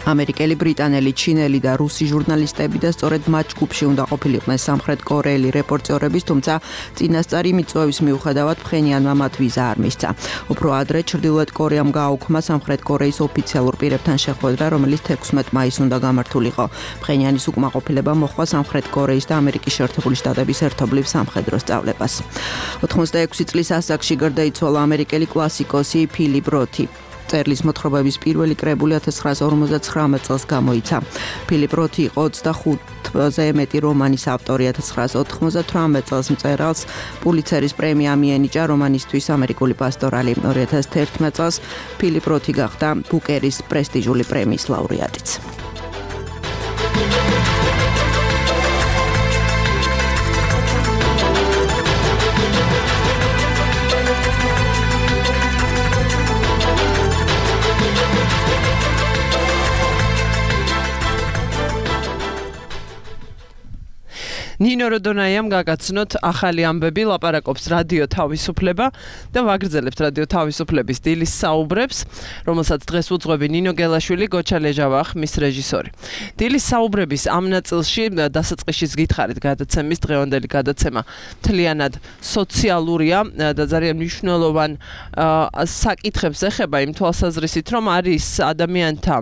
ამერიკელი, ბრიტანელი, ჩინელი და რუსი ჟურნალისტები და სწორედ მათ ჯგუფში უნდა ყოფილიყვნენ სამხრეთ კორეელი რეპორტერების, თუმცა წინასწარი მიწვევის მიუხედავად ფხენიანმა მათ ვიზა არ მისცა. უფრო ადრე ჩრდილოეთ კორეამ გააუქმა სამხრეთ კორეის ოფიციალურ პირებთან შეხვედრა, რომელიც 16 მაისს უნდა გამართულიყო. ფხენიანის უკმაყოფილება მოჰყვა სამხრეთ კორეის და ამერიკის შეერთებული შტატების ერთობლივ სამხედრო სწავლებას. 86 წლის ასაკში გარდაიცვალა ამერიკელი კლასიკოსი ფილიპ როთი. წერლის მოთხრობების პირველი კრებული 1959 წელს გამოიცა. ფილიპ როთი იყო 25-ზე მეტი რომანის ავტორი. 1998 წელს მწერალს პულიცერის პრემია მიენიჭა რომანისთვის ამერიკული პასტორალი. 2011 წელს ფილიპ როთი გახდა ბუკერის პრესტიჟული პრემიის ლაურეატიც. ნინო როდონაიამ გაგაცნოთ ახალი ამბები, ლაპარაკობს რადიო თავისუფლება და ვაგრძელებთ რადიო თავისუფლების დილის საუბრებს, რომელსაც დღეს უძღვები ნინო გელაშვილი, გოჩა ლეჟავახ, მის რეჟისორი. დილის საუბრების ამ ნაწილში დასაწყისშიც გითხარით, გადაცემის დღევანდელი გადაცემა მთლიანად სოციალურია და ძალიან მნიშვნელოვან საკითხებს ეხება იმ თვალსაზრისით, რომ არის ადამიანთა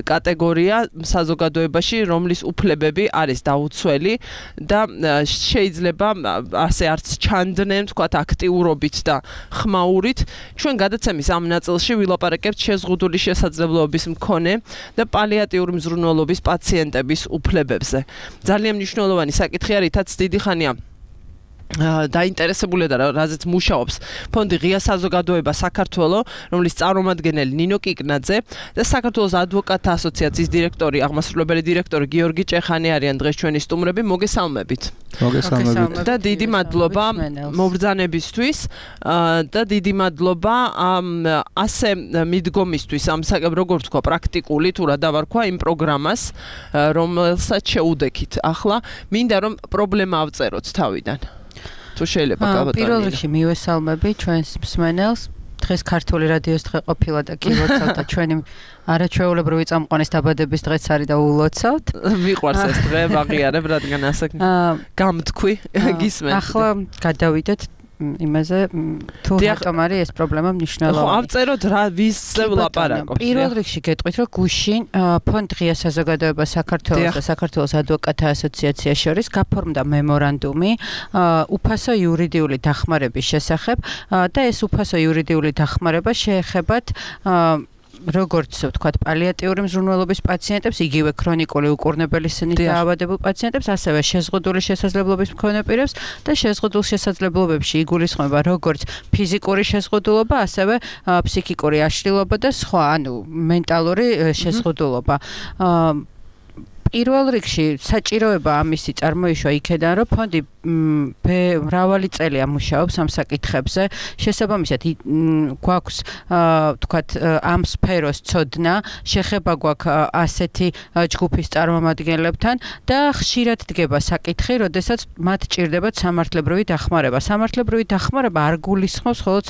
კატეგორია საზოგადოებაში, რომლის უფლებები არის დაუცველი და შეიძლება ასე არც ჩანდნენ, თქვათ, აქტიურობით და ხმაურით. ჩვენ გადაცემის ამ ნაწილში ვილაპარაკებთ შეზღუდული შესაძლებლობების მქონე და პალიატიური მზრუნველობის პაციენტების უფლებებზე. ძალიან მნიშვნელოვანი საკითხი არის, რითაც დიდი ხანია დაინტერესებულია და რაზეც მუშაობს ფონდი ღია საზოგადოება საქართველო, რომლის წარმომადგენელი ნინო კიკნაძე და საქართველოს ადვოკატთა ასოციაციის დირექტორი, აღმასრულებელი დირექტორი გიორგი ჭეხანი არიან დღეს ჩვენი სტუმრები. მოგესალმებით. მოგესალმებით. და დიდი მადლობა მობრძანებისთვის და დიდი მადლობა ასე მიდგომისთვის, ამ როგორ თქვა, პრაქტიკული თუ რა დავარქვა იმ პროგრამას, რომელსაც შეუდექით. ახლა მინდა რომ პრობლემა ავწეროთ თავიდან. თუ შეიძლება გავატაროთ. პირველ რიგში მივესალმები ჩვენს მსმენელს. დღეს ქართული რადიოს დღე ყოფილა და კი ლოცავთ და ჩვენი არაჩვეულებრივი წამყვანის დაბადების დღეც არის და ულოცავთ. მიყვარს ეს დღე, ვაღიარებ, რადგან ასე გამთქვი, გისმენთ. ახლა გადავიდეთ იმაზე, თუ რატომ არის ეს პრობლემა მნიშვნელოვანი. ხო, ავწეროთ რა ვისზე ვლაპარაკობთ. პირველ რიგში გეტყვით, რომ გუშინ ფონდ ღია საზოგადოება საქართველოს და საქართველოს ადვოკატთა ასოციაციას შორის გაფორმდა მემორანდუმი უფასო იურიდიული დახმარების შესახებ და ეს უფასო იურიდიული დახმარება შეეხებათ როგორც ვთქვათ, პალიატიური მზრუნველობის პაციენტებს, იგივე ქრონიკული უკურნებელი სინით დაავადებულ პაციენტებს, ასევე შეზღუდული შესაძლებლობის მქონე პირებს და შეზღუდულ შესაძლებლობებში იგულისხმება როგორც ფიზიკური შეზღუდულობა, ასევე ფსიქიკური აშლილობა და სხვა, ანუ მენტალური შეზღუდულობა. პირველ რიგში საჭიროება ამისი წარმოიშვა იქედან, რომ ფონდი მრავალი წელია მუშაობს ამ საკითხებზე. შესაბამისად, გვაქვს ვთქვათ, ამ სფეროს ცოდნა, შეხება გვაქვს ასეთი ჯგუფის წარმომადგენლებთან და ხშირად დგება საკითხი, როდესაც მათ ჭირდებათ სამართლებრივი დახმარება. სამართლებრივი დახმარება არ გულისხმობს მხოლოდ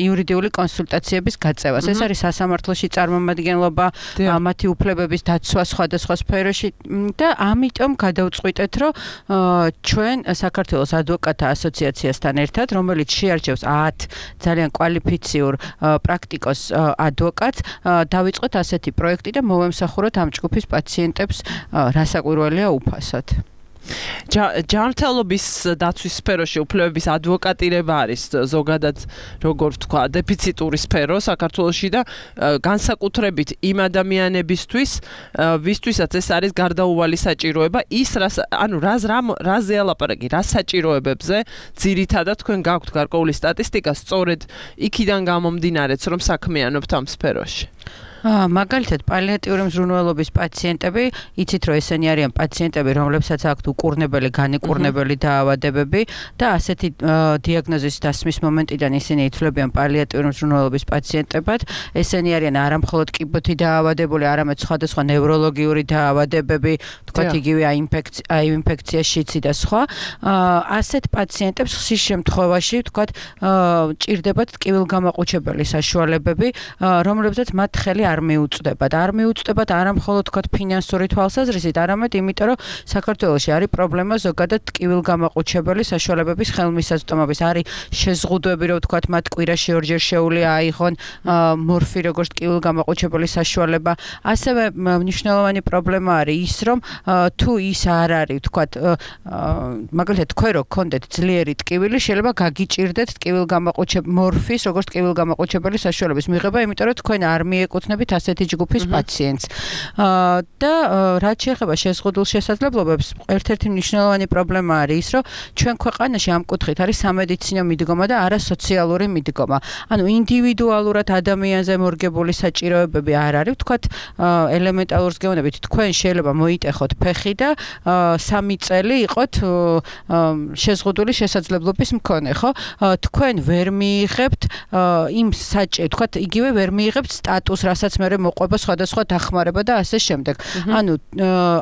იურიდიული კონსულტაციების გაწევას. ეს არის სასამართლოში წარმომადგენლობა, მათი უფლებების დაცვა სხვადასხვა სფეროში სფეროში და ამიტომ გადავწყვიტეთ, რომ ჩვენ საქართველოს ადვოკატთა ასოციაციასთან ერთად, რომელიც შეარჩევს 10 ძალიან კვალიფიციურ პრაქტიკოს ადვოკატს, დავიწყოთ ასეთი პროექტი და მოვემსახუროთ ამ ჯგუფის პაციენტებს, რასაკვირველია უფასოდ. ჯანმრთელობის დაცვის სფეროში უფლებების ადვოკატირება არის ზოგადად როგორ ვთქვა დეფიციტური სფერო საქართველოში და განსაკუთრებით იმ ადამიანებისთვის ვისთვისაც ეს არის გარდაუვალი საჭიროება ის რაზე ალაპარაკი რა საჭიროებებზე ძირითადად თქვენ გაქვთ გარკვეული სტატისტიკა სწორედ იქიდან გამომდინარეც რომ საქმიანობთ ამ სფეროში მაგალითად პალიატიური მზრუნველობის პაციენტები, იცით რომ ესენი არიან პაციენტები, რომლებსაც აქვთ უკურნებელი, განიკურნებელი დაავადებები და ასეთი დიაგნოზის დასმის მომენტიდან ისინი ითვლებიან პალიატიური მზრუნველობის პაციენტებად. ესენი არიან არა მხოლოდ კიბოთი დაავადებული, არამედ სხვადასხვა ნევროლოგიური დაავადებები, თქვათ იგივე აინფექცია, შიცი და სხვა. ასეთ პაციენტებს ხშირ შემთხვევაში, თქვათ, ჭირდებათ ტკივილგამაყუჩებელი საშუალებები, რომლებსაც მათ ხელი არ მიუწვდებათ. არ მიუწვდებათ არა მხოლოდ თქვათ ფინანსური თვალსაზრისით, არამედ იმიტომ, რომ საქართველოში არის პრობლემა ზოგადად ტკივილგამაყუჩებელი საშუალებების ხელმისაწვდომობის. არის შეზღუდვები, რომ თქვათ მათ კვირაში ორჯერ შეუძლია აიღონ მორფი როგორც ტკივილგამაყუჩებელი საშუალება. ასევე მნიშვნელოვანი პრობლემა არის ის, რომ თუ ის არ არის, თქვათ, მაგალითად თქვენ რო გქონდეთ ძლიერი ტკივილი, შეიძლება გაგიჭირდეთ მორფის როგორც ტკივილგამაყუჩებელი საშუალების მიღება, იმიტომ რომ თქვენ არ მიეკუთვნებით ასეთი ჯგუფის პაციენტს. და რაც შეეხება შეზღუდულ შესაძლებლობებს, ერთ-ერთი მნიშვნელოვანი პრობლემა არის ის, რომ ჩვენ ქვეყანაში ამ კუთხით არის სამედიცინო მიდგომა და არა სოციალური მიდგომა. ანუ ინდივიდუალურად ადამიანზე მორგებული საჭიროებები არ არის, თქვათ, ელემენტარულ გეონებით თქვენ შეიძლება მოიტეხოთ ფეხი და 3 წელი იყოთ შეზღუდული შესაძლებლობის მქონე, ხო? თქვენ ვერ მიიღებთ იმ თქვათ, იგივე ვერ მიიღებთ სტატუსს, რასაც მე მოყვება სხვადასხვა დახმარება და ასე შემდეგ. ანუ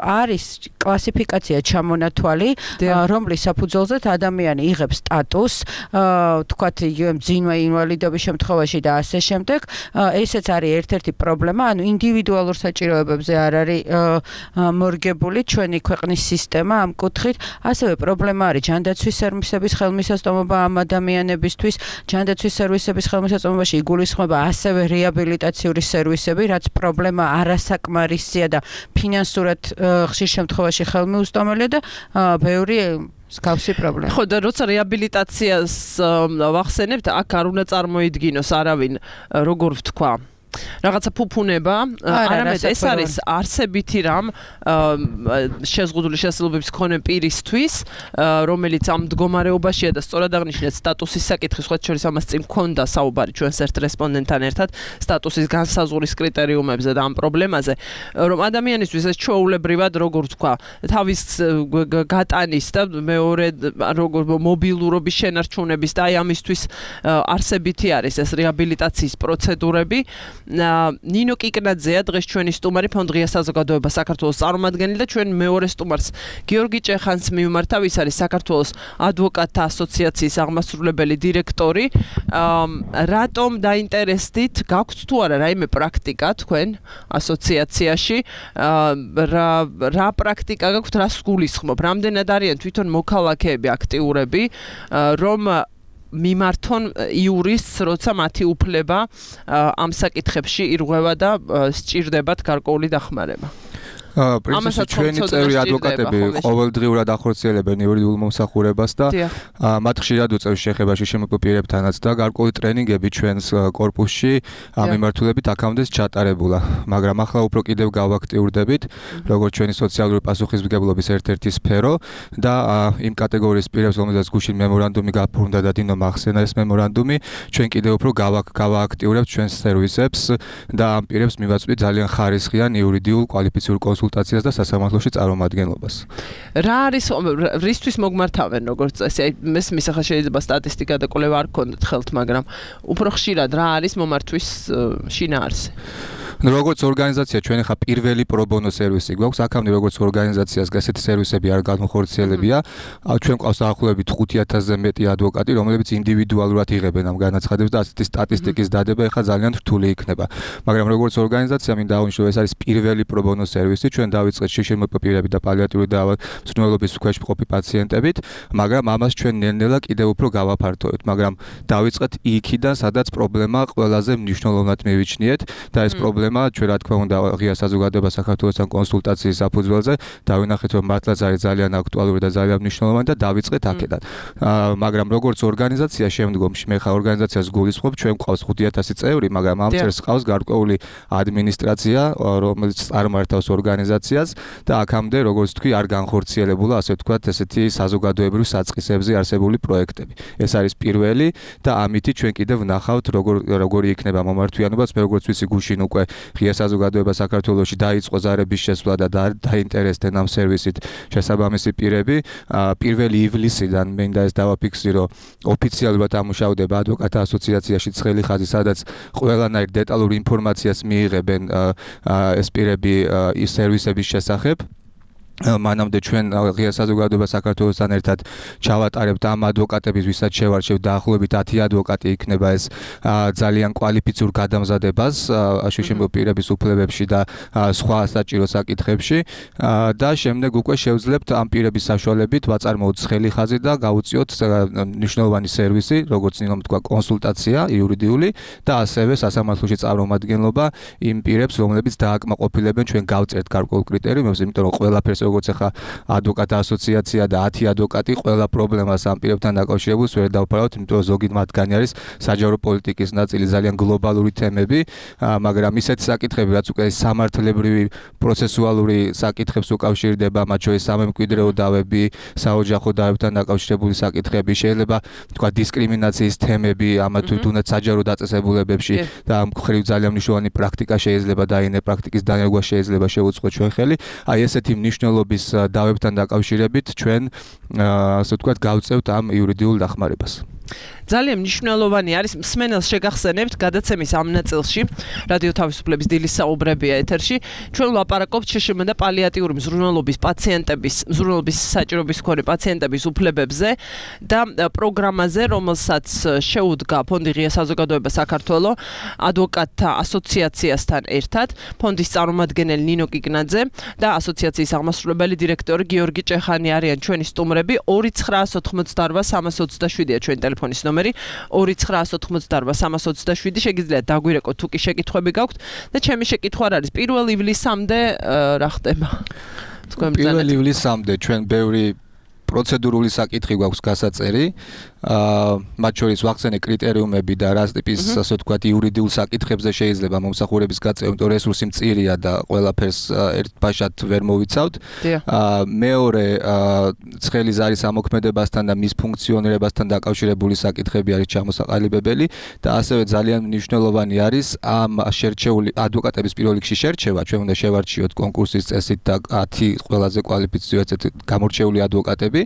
არის კლასიფიკაცია ჩამონათვალი, რომლის საფუძველზეც ადამიანი იღებს სტატუსს, თქვათ, იგივე მძიმე ინვალიდობის შემთხვევაში და ასე შემდეგ. ესეც არის ერთ-ერთი პრობლემა, ანუ ინდივიდუალურ საჭიროებებზე არ არის მორგებული ჩვენი ქვეყნის სისტემა ამ კუთხით. ასევე პრობლემა არის ჯანდაცვის სერვისების ხელმისაწვდომობა ამ ადამიანებისთვის. ჯანდაცვის სერვისების ხელმისაწვდომობაში იგულისხმება ასევე რეაბილიტაციური სერვისები, რაც პრობლემა არასაკმარისია და ფინანსურად ხშირ შემთხვევაში ხელმიუწვდომელია და ბევრი მსგავსი პრობლემა. ხო და როცა რეაბილიტაციას ვახსენებთ, აქ არ უნდა წარმოიდგინოს არავინ როგორ ვთქვა რაღაცა ფუფუნება, არამედ ეს არის არსებითი რამ შეზღუდული შესაძლებლობების მქონე პირისთვის, რომელიც ამ მდგომარეობაშია და სწორად აღნიშნეთ სტატუსის საკითხი, სხვა შორის ამას წინ მქონდა საუბარი ჩვენს ერთ რესპონდენტთან ერთად სტატუსის განსაზღვრის კრიტერიუმებზე და ამ პრობლემაზე, რომ ადამიანისთვის ეს ჩვეულებრივად როგორ ვთქვა, თავის გატანის და მეორე როგორ მობილურობის შენარჩუნების და აი ამისთვის არსებითი არის ეს რეაბილიტაციის პროცედურები. ნინო კიკნაძეა დღეს ჩვენი სტუმარი ფონდ ღია საზოგადოება საქართველოს წარმომადგენელი და ჩვენ მეორე სტუმარს გიორგი ჭეხანს მივმართა, ვის არის საქართველოს ადვოკატთა ასოციაციის აღმასრულებელი დირექტორი. რატომ დაინტერესდით, გაქვთ თუ არა რაიმე პრაქტიკა თქვენ ასოციაციაში? რა პრაქტიკა გაქვთ, რას გულისხმობ? რამდენად არიან თვითონ მოქალაქეები აქტიურები, რომ მიმართონ იურისტს, როცა მათი უფლება ამ საკითხებში ირღვევა და სჭირდებათ გარკვეული დახმარება? პრინციპში ჩვენი წევრი ადვოკატები ყოველდღიურად ახორციელებენ იურიდიულ მომსახურებას და მათ ხშირად უწევს შეხებაში შემოკვდ პირებთანაც და გარკვეული ტრენინგები ჩვენს კორპუსში ამ მიმართულებით აქამდე ჩატარებულა, მაგრამ ახლა უფრო კიდევ გავაქტიურდებით, როგორც ჩვენი სოციალური პასუხისმგებლობის ერთ-ერთი სფერო და იმ კატეგორიის პირებს, რომელსაც გუშინ მემორანდუმი გაფორმდა და დინო მახსენა ეს მემორანდუმი, ჩვენ კიდევ უფრო გავააქტიურებთ ჩვენს სერვისებს და ამ პირებს მივაწვდით ძალიან ხარისხიან იურიდიულ კვალიფიციურ კონსულტაციას და სასამართლოში წარმომადგენლობას. რა არის რისთვის მოგმართავენ როგორც წესი? ეს მისახა შეიძლება სტატისტიკა და კვლევა არ გქონდეთ ხელთ, მაგრამ უფრო ხშირად რა არის მომართვის შინაარსი? როგორც ორგანიზაცია ჩვენ ხა პირველი პრობონო სერვისი გვაქვს, აქამდე როგორც ორგანიზაციას გასეთი სერვისები არ განხორციელებია. ჩვენ ყავს დაახლოებით 5000-ზე მეტი ადვოკატი, რომლებიც ინდივიდუალურად იღებენ ამ განაცხადებს და ასეთი სტატისტიკის დადება ხა ძალიან რთული იქნება. მაგრამ როგორც ორგანიზაცია მინდა აღნიშნო, ეს არის პირველი პრობონო სერვისი, ჩვენ დავიწყეთ შიშიმოპირები და პალიატიური მზრუნველობის ქვეშ მყოფი პაციენტებით, მაგრამ ამას ჩვენ ნელ-ნელა კიდევ უფრო გავაფართოვებთ, მაგრამ დავიწყეთ იქიდან, სადაც პრობლემა ყველაზე მნიშვნელოვნად მივიჩნიეთ და ეს პრობლემა ჩვენ რა თქმა უნდა ღია საზოგადოება საქართველოსთან კონსულტაციის საფუძველზე დავინახეთ, რომ მართლაც არის ძალიან აქტუალური და ძალიან მნიშვნელოვანი და დავიწყეთ აქედან. მაგრამ როგორც ორგანიზაცია შემდგომში მე ხა ორგანიზაციას გულისხმობ, ჩვენ გვყავს 5000 წევრი, მაგრამ ამ წელს ყავს გარკვეული ადმინისტრაცია, რომელიც წარმართავს ორგანიზაციას და აქამდე როგორც თქვი არ განხორციელებულა ასე ვთქვათ ესეთი საზოგადოებრივ საწყისებზე არსებული პროექტები. ეს არის პირველი და ამითი ჩვენ კიდევ ვნახავთ როგორი იქნება მომართვიანობაც. მე როგორც ვიცი გუშინ უკვე ღია საზოგადოება საქართველოში დაიწყო ზარების შესვლა და დაინტერესდნენ ამ სერვისით შესაბამისი პირები. 1 ივლისიდან მინდა ეს დავაფიქსირო, ოფიციალურად ამუშავდება ადვოკატთა ასოციაციაში ცხელი ხაზი, სადაც ყველანაირ დეტალურ ინფორმაციას მიიღებენ ეს პირები ის სერვისების შესახებ. მანამდე ჩვენ ღია საზოგადოება საქართველოსთან ერთად ჩავატარებთ ამ ადვოკატების, ვისაც შევარჩევთ დაახლოებით 10 ადვოკატი იქნება ეს ძალიან კვალიფიცურ გადამზადებას შიშიმოპირების უფლებებში და სხვა საჭირო საკითხებში და შემდეგ უკვე შევძლებთ ამ პირების საშუალებით ვაწარმოოთ ცხელი ხაზი და გავუწიოთ მნიშვნელოვანი სერვისი, როგორც ნინომ თქვა, კონსულტაცია იურიდიული და ასევე სასამართლოში წარმომადგენლობა იმ პირებს, რომლებიც დააკმაყოფილებენ ჩვენ გავწერთ გარკვეულ კრიტერიუმებს, იმიტომ რომ ყველაფერს როგორც ახლა ადვოკატთა ასოციაცია და 10 ადვოკატი ყველა პრობლემას ამ პირებთან დაკავშირებულს ვერ დავფარავთ, იმიტომ რომ ზოგი მათგანი არის საჯარო პოლიტიკის ნაწილი, ძალიან გლობალური თემები, მაგრამ ისეთი საკითხები, რაც უკვე სამართლებრივი პროცესუალური საკითხებს უკავშირდება, მათ შორის სამემკვიდრეო დავები, საოჯახო დავებთან დაკავშირებული საკითხები, შეიძლება თქვა დისკრიმინაციის თემები, ამა თუ თუნდაც საჯარო დაწესებულებებში და ამ მხრივ ძალიან მნიშვნელოვანი პრაქტიკა შეიძლება დაინე პრაქტიკის დანერგვა შეიძლება შევუწყოთ ჩვენ ხელი. აი ესეთი მნიშვნელოვანი დავებთან დაკავშირებით ჩვენ ასე ვთქვათ გავწევთ ამ იურიდიულ დახმარებას. ძალიან მნიშვნელოვანი არის მსმენელს შეგახსენებთ გადაცემის ამ ნაწილში რადიო თავისუფლების დილის საუბრებია ეთერში ჩვენ ვლაპარაკობთ შშმ და პალიატიური მზრუნველობის პაციენტების მზრუნველობის საჭიროების მქონე პაციენტების უფლებებზე და პროგრამაზე რომელსაც შეუდგა ფონდი ღია საზოგადოება საქართველოს ადვოკატთა ასოციაციასთან ერთად ფონდის წარმომადგენელი ნინო კიკნაძე და ასოციაციის აღმასრულებელი დირექტორი გიორგი ჭეხანი არიან ჩვენი სტუმრები 2988-327-ია ჩვენი ტელეფონის ნომერი 2988-327 შეგიძლიათ დაგვირეკოთ თუ კი შეკითხვები გაქვთ და ჩემი შეკითხვა არის 1 ივლისამდე რა ხდება? თქვენ ბრძანეთ 1 ივლისამდე ჩვენ ბევრი პროცედურული საკითხი გვაქვს გასაწერი. მათ შორის ვახსენე კრიტერიუმები და რა ტიპის ასე ვთქვათ იურიდიულ საკითხებზე შეიძლება მომსახურების გაწევა, იმიტომ რესურსი მწირია და ყველაფერს ერთბაშად ვერ მოვიცავთ. მეორე ცხელი ზარის ამოქმედებასთან და მის ფუნქციონირებასთან დაკავშირებული საკითხები არის ჩამოსაყალიბებელი და ასევე ძალიან მნიშვნელოვანი არის ამ შერჩეული ადვოკატების პირველ რიგში შერჩევა. ჩვენ უნდა შევარჩიოთ კონკურსის წესით და 10 ყველაზე კვალიფიციური გამორჩეული ადვოკატები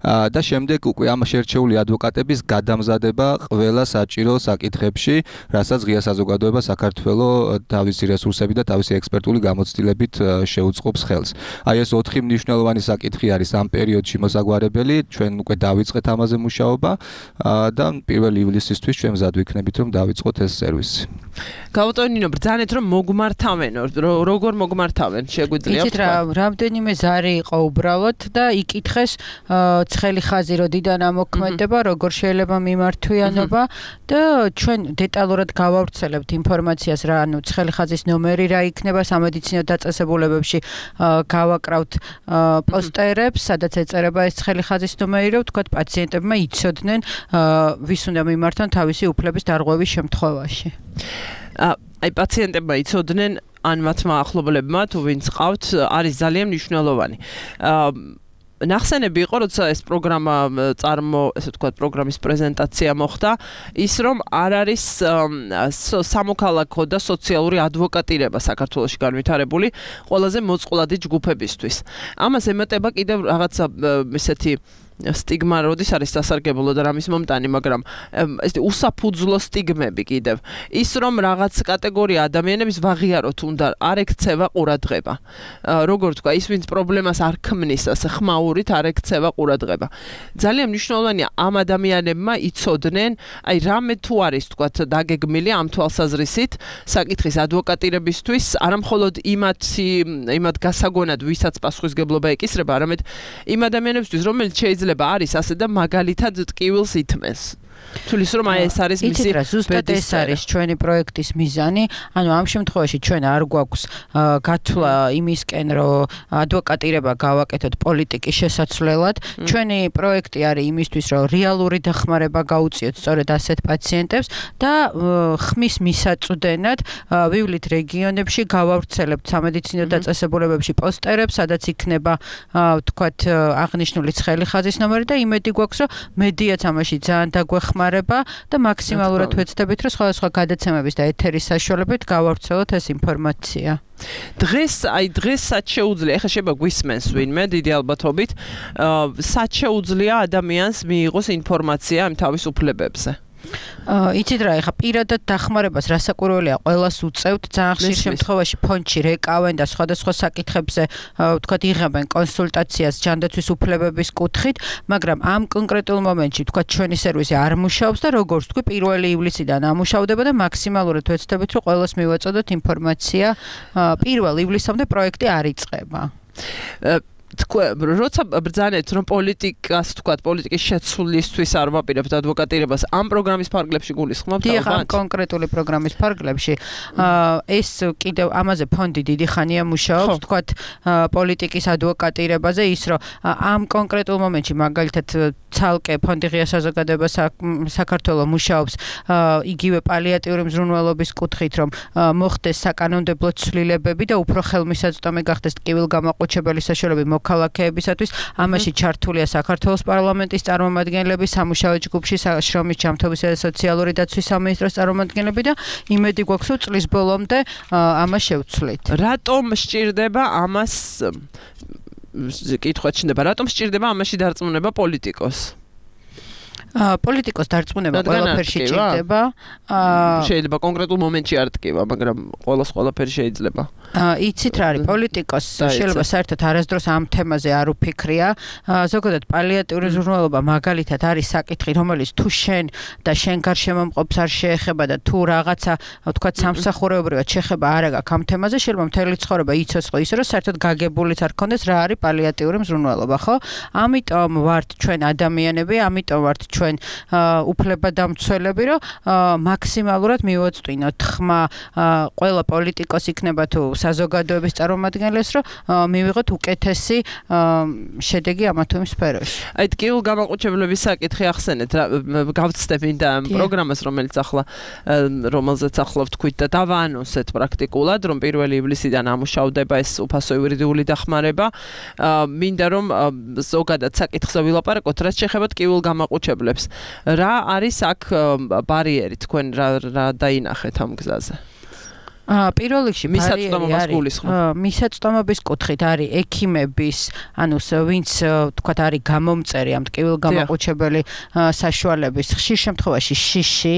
და შემდეგ უკვე ამ შერჩეული ადვოკატების გადამზადება ყველა საჭირო საკითხებში, რასაც ღია საზოგადოება საქართველოს თავისი რესურსები და თავისი ექსპერტული გამოცდილებით შეუწყობს ხელს. აი ეს 4 მნიშვნელოვანი საკითხი არის ამ პერიოდში მოსაგვარებელი, ჩვენ უკვე დავიწყეთ ამაზე მუშაობა და 1 ივლისისთვის ჩვენ მზად ვიქნებით, რომ დავიწყოთ ეს სერვისი. გავუტონინო ბრძანეთ რომ მოგმართავენ, როგორ მოგმართავენ, შეგვიძლია თქვა? იცით რა, რამდენიმე ზარი იყო უბრალოდ და იკითხეს ცხელი ხაზი როდიდან ამოქმედება, როგორ შეიძლება მიმართვიანობა და ჩვენ დეტალურად გავავრცელებთ ინფორმაციას რა, ანუ ცხელი ხაზის ნომერი რა იქნება სამედიცინო დაწესებულებებში გავაკრავთ პოსტერებს, სადაც ეწერება ეს ცხელი ხაზის ნომერი, რომ თქვა პაციენტებმა იცოდნენ ვის უნდა მიმართონ თავისი უფლების დარღვევის შემთხვევაში. აი პაციენტებმა იცოდნენ ან მათმა ახლობლებმა თუ ვინც ყავთ არის ძალიან მნიშვნელოვანი. ნახსენები იყო, როცა ეს პროგრამა ესე ვთქვათ, პროგრამის პრეზენტაცია მოხდა, ის რომ არ არის სამოქალაქო და სოციალური ადვოკატირება საქართველოში განვითარებული ყველაზე მოწყვლადი ჯგუფებისთვის. ამას ემატება კიდევ რაღაცა ესეთი სტიგმა როდის არის სასარგებლო და რამის მომტანი, მაგრამ ეს უსაფუძვლო სტიგმები კიდევ. ის რომ რაღაც კატეგორია ადამიანების ვაღიაროთ უნდა, არ ექცევა ყურადღება. როგორ თქვა, ის ვინც პრობლემას არ ქმნის ასე ხმაურით, არ ექცევა ყურადღება. ძალიან მნიშვნელოვანია ამ ადამიანებმა იცოდნენ, აი რამე თუ არის თქვა დაგეგმილი ამ თვალსაზრისით, საკითხის ადვოკატირებისთვის, არა მხოლოდ იმათ გასაგონად, ვისაც პასუხისგებლობა ეკისრება, არამედ იმ ადამიანებისთვის, რომელიც შეიძლება არის ასე და მაგალითად ტკივილს ითმეს. თulis რომ აი ეს არის მისი ზუსტად ეს არის ჩვენი პროექტის მიზანი. ანუ ამ შემთხვევაში ჩვენ არ გვაქვს გათვლა იმისკენ, რომ ადვოკატირება გავაკეთოთ პოლიტიკის შესაცვლელად. ჩვენი პროექტი არის იმისთვის, რომ რეალური დახმარება გაუწიოთ სწორედ ასეთ პაციენტებს და ხმის მისაწვდენად ვივლით რეგიონებში, გავავრცელებთ სამედიცინო დაწესებულებებში პოსტერებს, სადაც იქნება ვთქვათ აღნიშნული ცხელი ხაზის ნომერი და იმედი გვაქვს, რომ მედიაც ამაში ძალიან დაგვეხმარება და მაქსიმალურად ვეცდებით, რომ სხვადასხვა გადაცემების და ეთერის საშუალებით გავავრცელოთ ეს ინფორმაცია. დღეს სად შეუძლია, ეხლა შეიძლება გვისმენს ვინმე დიდი ალბათობით, სად შეუძლია ადამიანს მიიღოს ინფორმაცია ამ თავისუფლებებზე? იცით რა, ეხა პირადად დახმარებას რასაკვირველია ყველას უწევთ, ძალიან ხშირ შემთხვევაში ფონდში რეკავენ და სხვადასხვა საკითხებზე ვთქვათ იღებენ კონსულტაციას ჯანდაცვის უფლებების კუთხით, მაგრამ ამ კონკრეტულ მომენტში ვთქვათ ჩვენი სერვისი არ მუშაობს და როგორც თქვი 1 ივლისიდან ამუშავდება და მაქსიმალურად ვეცდებით, რომ ყველას მივაწოდოთ ინფორმაცია 1 ივლისამდე პროექტი არ იწყება. როცა ბრძანეთ რომ პოლიტიკას თქვათ პოლიტიკის შეცვლისთვის არ ვაპირებთ ადვოკატირებას ამ პროგრამის ფარგლებში გულისხმობთ ალბათ? დიახ, ამ კონკრეტული პროგრამის ფარგლებში ეს კიდევ ამაზე ფონდი დიდი ხანია მუშაობს, თქვათ პოლიტიკის ადვოკატირებაზე, ის რომ ამ კონკრეტულ მომენტში მაგალითად ცალკე ფონდი ღია საზოგადოება საქართველოს მუშაობს იგივე პალიატიური მზრუნველობის კუთხით, რომ მოხდეს საკანონმდებლო ცვლილებები და უფრო ხელმისაწვდომი გახდეს ტკივილგამაყუჩებელი საშუალებები მოქალაქეებისათვის. ამაში ჩართულია საქართველოს პარლამენტის წარმომადგენლები, სამუშაო ჯგუფში შრომის ჯანმრთელობისა და სოციალური დაცვის სამინისტროს წარმომადგენლები და იმედი გვაქვს, რომ წლის ბოლომდე ამას შევცვლით. რატომ სჭირდება ამას კითხვა ჩნდება, რატომ სჭირდება ამაში დარწმუნება პოლიტიკოს? პოლიტიკოს დარწმუნება ყველაფერში ჭირდება. შეიძლება კონკრეტულ მომენტში არ ტკივა, მაგრამ ყველაფერი შეიძლება. იცით რა არის, პოლიტიკოს შეიძლება საერთოდ არასდროს ამ თემაზე არ უფიქრია. ზოგადად პალიატიური მზრუნველობა მაგალითად არის საკითხი, რომელიც თუ შენ და შენ გარშემო მყოფს არ შეეხება და თუ რაღაცა ვთქვათ სამსახურეობრივად შეხება არ აქვს ამ თემაზე, შეიძლება მთელი ცხოვრება იცოცხლო ისე, რომ საერთოდ გაგებულიც არ ქონდეს რა არის პალიატიური მზრუნველობა, ხო? ამიტომ ვართ ჩვენ ადამიანები, ამიტომ ვართ ჩვენ უფლებადამცველები, რომ მაქსიმალურად მივაწვდინოთ ხმა ყველა პოლიტიკოს იქნება თუ საზოგადოების წარმომადგენლებს, რომ მივიღოთ უკეთესი შედეგი ამა თუ იმ სფეროში. აი ტკივილგამაყუჩებლების საკითხი ახსენეთ, გავცდებ მინდა ამ პროგრამას, რომელზეც ახლა ვთქვით და დავაანონსეთ პრაქტიკულად, რომ 1 ივლისიდან ამუშავდება ეს უფასო იურიდიული დახმარება. მინდა რომ ზოგადად საკითხზე ვილაპარაკოთ, რაც შეეხება ტკივილგამაყუჩებლებს. რა არის აქ ბარიერი, თქვენ რა დაინახეთ ამ გზაზე? პირველ რიგში მისაწვდომობის კუთხით არის ექიმების, ანუ ვინც თქვათ არის გამომწერი ამ ტკივილგამაყუჩებელი საშუალების ხშირ შემთხვევაში შიში.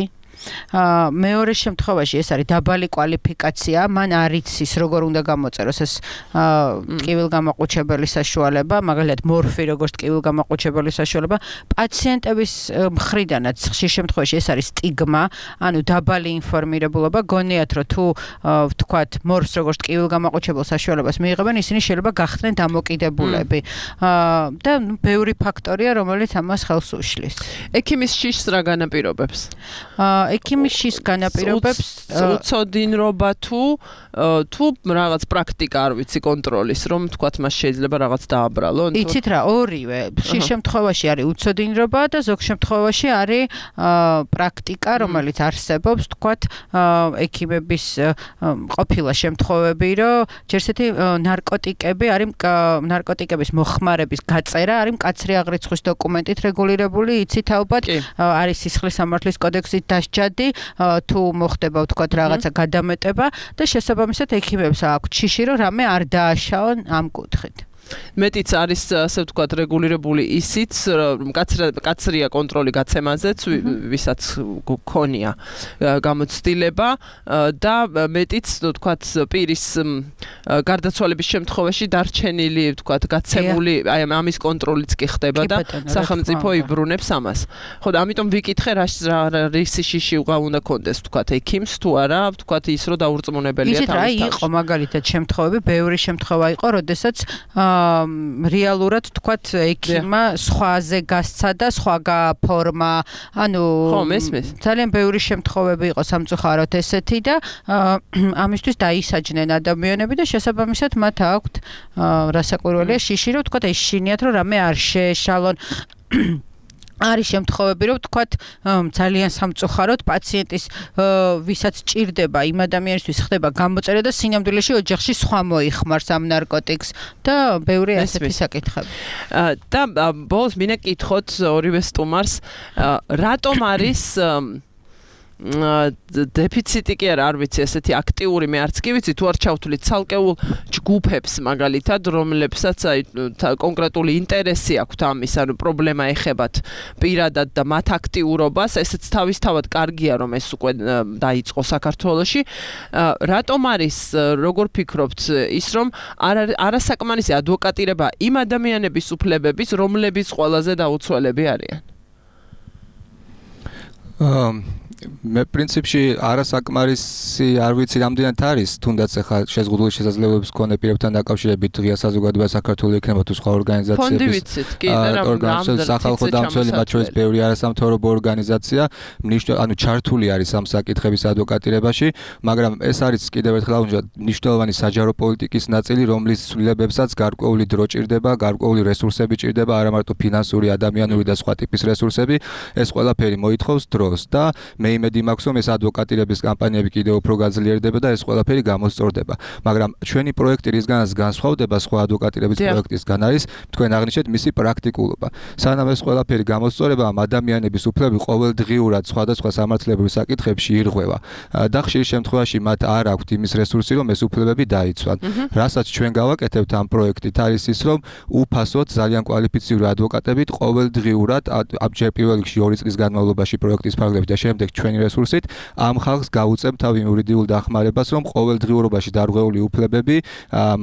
მეორე შემთხვევაში ეს არის დაბალი კვალიფიკაცია, მან არ იცის როგორ უნდა გამოწეროს ეს ტკივილგამაყუჩებელი საშუალება, მაგალითად მორფი როგორც ტკივილგამაყუჩებელი საშუალება. პაციენტების მხრიდანაც ხშირ შემთხვევაში ეს არის სტიგმა, ანუ დაბალი ინფორმირებულობა, გონიათ რომ თუ ვთქვათ მორფს როგორც ტკივილგამაყუჩებელ საშუალებას მიიღებენ, ისინი შეიძლება გახდნენ დამოკიდებულები. და ბევრი ფაქტორია, რომელიც ამას ხელს უშლის. ექიმის შიშს რა განაპირობებს? ექიმის შიშს განაპირობებს უცოდინრობა თუ რაღაც პრაქტიკა არ ვიცი კონტროლის, რომ თქვათ მას შეიძლება რაღაც დააბრალონ. იცით რა, ორივე. ხშირ შემთხვევაში არის უცოდინრობა და ზოგ შემთხვევაში არის პრაქტიკა, რომელიც არსებობს, თქვათ ექიმების ყოფილა შემთხვევები, რომ ჯერ ესეთი ნარკოტიკების მოხმარების გაწერა არის მკაცრი აღრიცხვის დოკუმენტით რეგულირებული, იცით ალბათ, არის სისხლის სამართლის კოდექსით დასჯადი, თუ მოხდება ვთქვათ რაღაცა გადამეტება და შესაბამისად ექიმებს აქვთ შიში, რომ რამე არ დააშაონ ამ კუთხით. მეტიც არის ასე ვთქვათ რეგულირებული ისიც რომ კაცრია კონტროლი გაცემაზეც ვისაც გქონია გამოცდილება და მეტიც ვთქვათ პირის გარდაცვალების შემთხვევაში დარჩენილი ვთქვათ გაცემული აი ამის კონტროლიც კი ხდება და სახელმწიფო იბრუნებს ამას. ხო და ამიტომ ვიკითხე რა რისიში უნდა კონდეს ვთქვათ ექიმს თუ არა ვთქვათ ის რომ დაურწმუნებელია თავის თავში. იყო მაგალითად შემთხვევები, ბევრი შემთხვევა იყო, როდესაც რეალურად ვთქვათ ექიმმა სხვაზე გასცა და სხვა გაფორმა. ანუ ძალიან ბევრი შემთხვევები იყო სამწუხაროდ ესეთი და ამისთვის დაისაჯნენ ადამიანები და შესაბამისად მათ აქვთ რასაკვირველია შიში რომ ვთქვათ ეშინიათ რომ რამე არ შეეშალონ არის შემთხვევები რომ ვთქვათ ძალიან სამწუხაროდ პაციენტის ვისაც ჭირდება იმ ადამიანისთვის ხდება გამოწერა და სინამდვილეში ოჯახში სხვა მოიხმარს ამ ნარკოტიკს და ბევრი ასეთი საკითხები. და ბოლოს მინდა კითხოთ ორივე სტუმარს რატომ არის დეფიციტი კი არ ვიცი ესეთი აქტიური მე არც კი ვიცი თუ არ ჩავთვლით ცალკეულ ჯგუფებს მაგალითად რომლებსაც აი კონკრეტული ინტერესი აქვთ ამის ანუ პრობლემა ეხებათ პირადად და მათ აქტიურობას ესეც თავისთავად კარგია რომ ეს უკვე დაიწყო საქართველოში რატომ არის როგორ ფიქრობთ ის რომ არასაკმარისი ადვოკატირება იმ ადამიანების უფლებების რომლებიც ყველაზე დაუცველები არიან მე პრინციპში არასაკმარისი არ ვიცი რამდენად არის თუნდაც ახლა შეზღუდული შესაძლებლობების მქონე პირებთან დაკავშირებით ღია საზოგადოება საქართველოს იქნება თუ სხვა ორგანიზაციების სახალხო დამცველი მათ შორის ბევრი არასამთავრობო ორგანიზაცია ანუ ჩართული არის ამ საკითხების ადვოკატირებაში მაგრამ ეს არის კიდევ ერთხელ მნიშვნელოვანი საჯარო პოლიტიკის ნაწილი რომლის ცვლილებებსაც გარკვეული დრო ჭირდება გარკვეული რესურსები ჭირდება არა მარტო ფინანსური ადამიანური და სხვა ტიპის რესურსები ეს ყველაფერი მოითხოვს დროს და მე იმედი მაქვს რომ ეს ადვოკატირების კამპანიები კიდევ უფრო გაძლიერდება და ეს ყველაფერი გამოსწორდება მაგრამ ჩვენი პროექტი რისგანაც განსხვავდება სხვა ადვოკატირების პროექტისგან არის თქვენ აღნიშნეთ მისი პრაქტიკულობა სანამ ეს ყველაფერი გამოსწორება ამ ადამიანების უფლები ყოველდღიურად სხვადასხვა სამართლებრივ საკითხებში ირღვევა და ხშირ შემთხვევაში მათ არ აქვთ იმის რესურსი რომ ეს უფლებები დაიცვან რასაც ჩვენ გავაკეთებთ ამ პროექტით არის ის რომ უფასოდ ძალიან კვალიფიციური ადვოკატებით ყოველდღიურად ჯერ პირველ რიგში 2 წლის განმავლობაში პროექტის ფარგლებით და შემდეგ ჩვენი რესურსით ამ ხალხს გაუწევთ თავი იურიდიულ დახმარებას რომ ყოველდღიურობაში დარღვეული უფლებები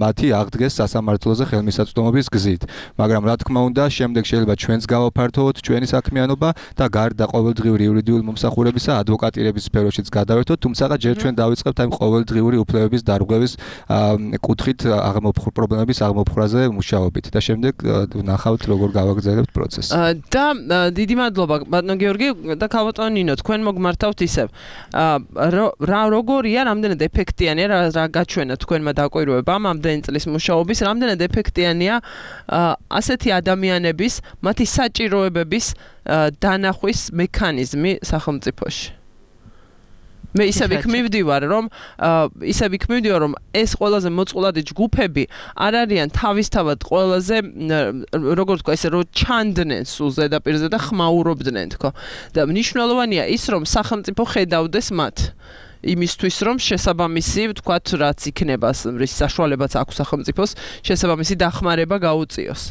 მათი აღდგეს სასამართლოზე ხელმისაწვდომობის გზით მაგრამ რა თქმა უნდა შემდეგ შეიძლება ჩვენც გავაფართოვოთ ჩვენი საქმიანობა და გარდა ყოველდღიური იურიდიული მომსახურებისა ადვოკატირების სფეროშიც გადავერთოთ თუმცა ჯერ ჩვენ დავიწყებთ ამ ყოველდღიური უფლებების დარღვევის კუთხით პრობლემების აღმოფხვრაზე მუშაობით და შემდეგ ვნახავთ როგორ გავაგრძელებთ პროცესს და დიდი მადლობა ბატონო გიორგი და ქალბატონო ნინო თქვენ მოგმართავთ ისევ რა როგორია რამდენად ეფექტიანია რა გაჩვენა თქვენმა დაკვირვებამ ამდენი წლის მუშაობის რამდენად ეფექტიანია ასეთი ადამიანების მათი საჭიროებების დანახვის მექანიზმი სახელმწიფოში მე ისევ იქ მივდივარ რომ ეს ყველაზე მოწყვლადი ჯგუფები არ არიან თავისთავად ყველაზე როგორ თქვა ესე რომ ჩანდნენ სულ ზედაპირზე და ხმაურობდნენ თქო და მნიშვნელოვანია ის რომ სახელმწიფო ხედავდეს მათ იმისთვის რომ შესაბამისი ვთქვათ რაც იქნება რის საშუალებაც აქვს სახელმწიფოს შესაბამისი დახმარება გაუწიოს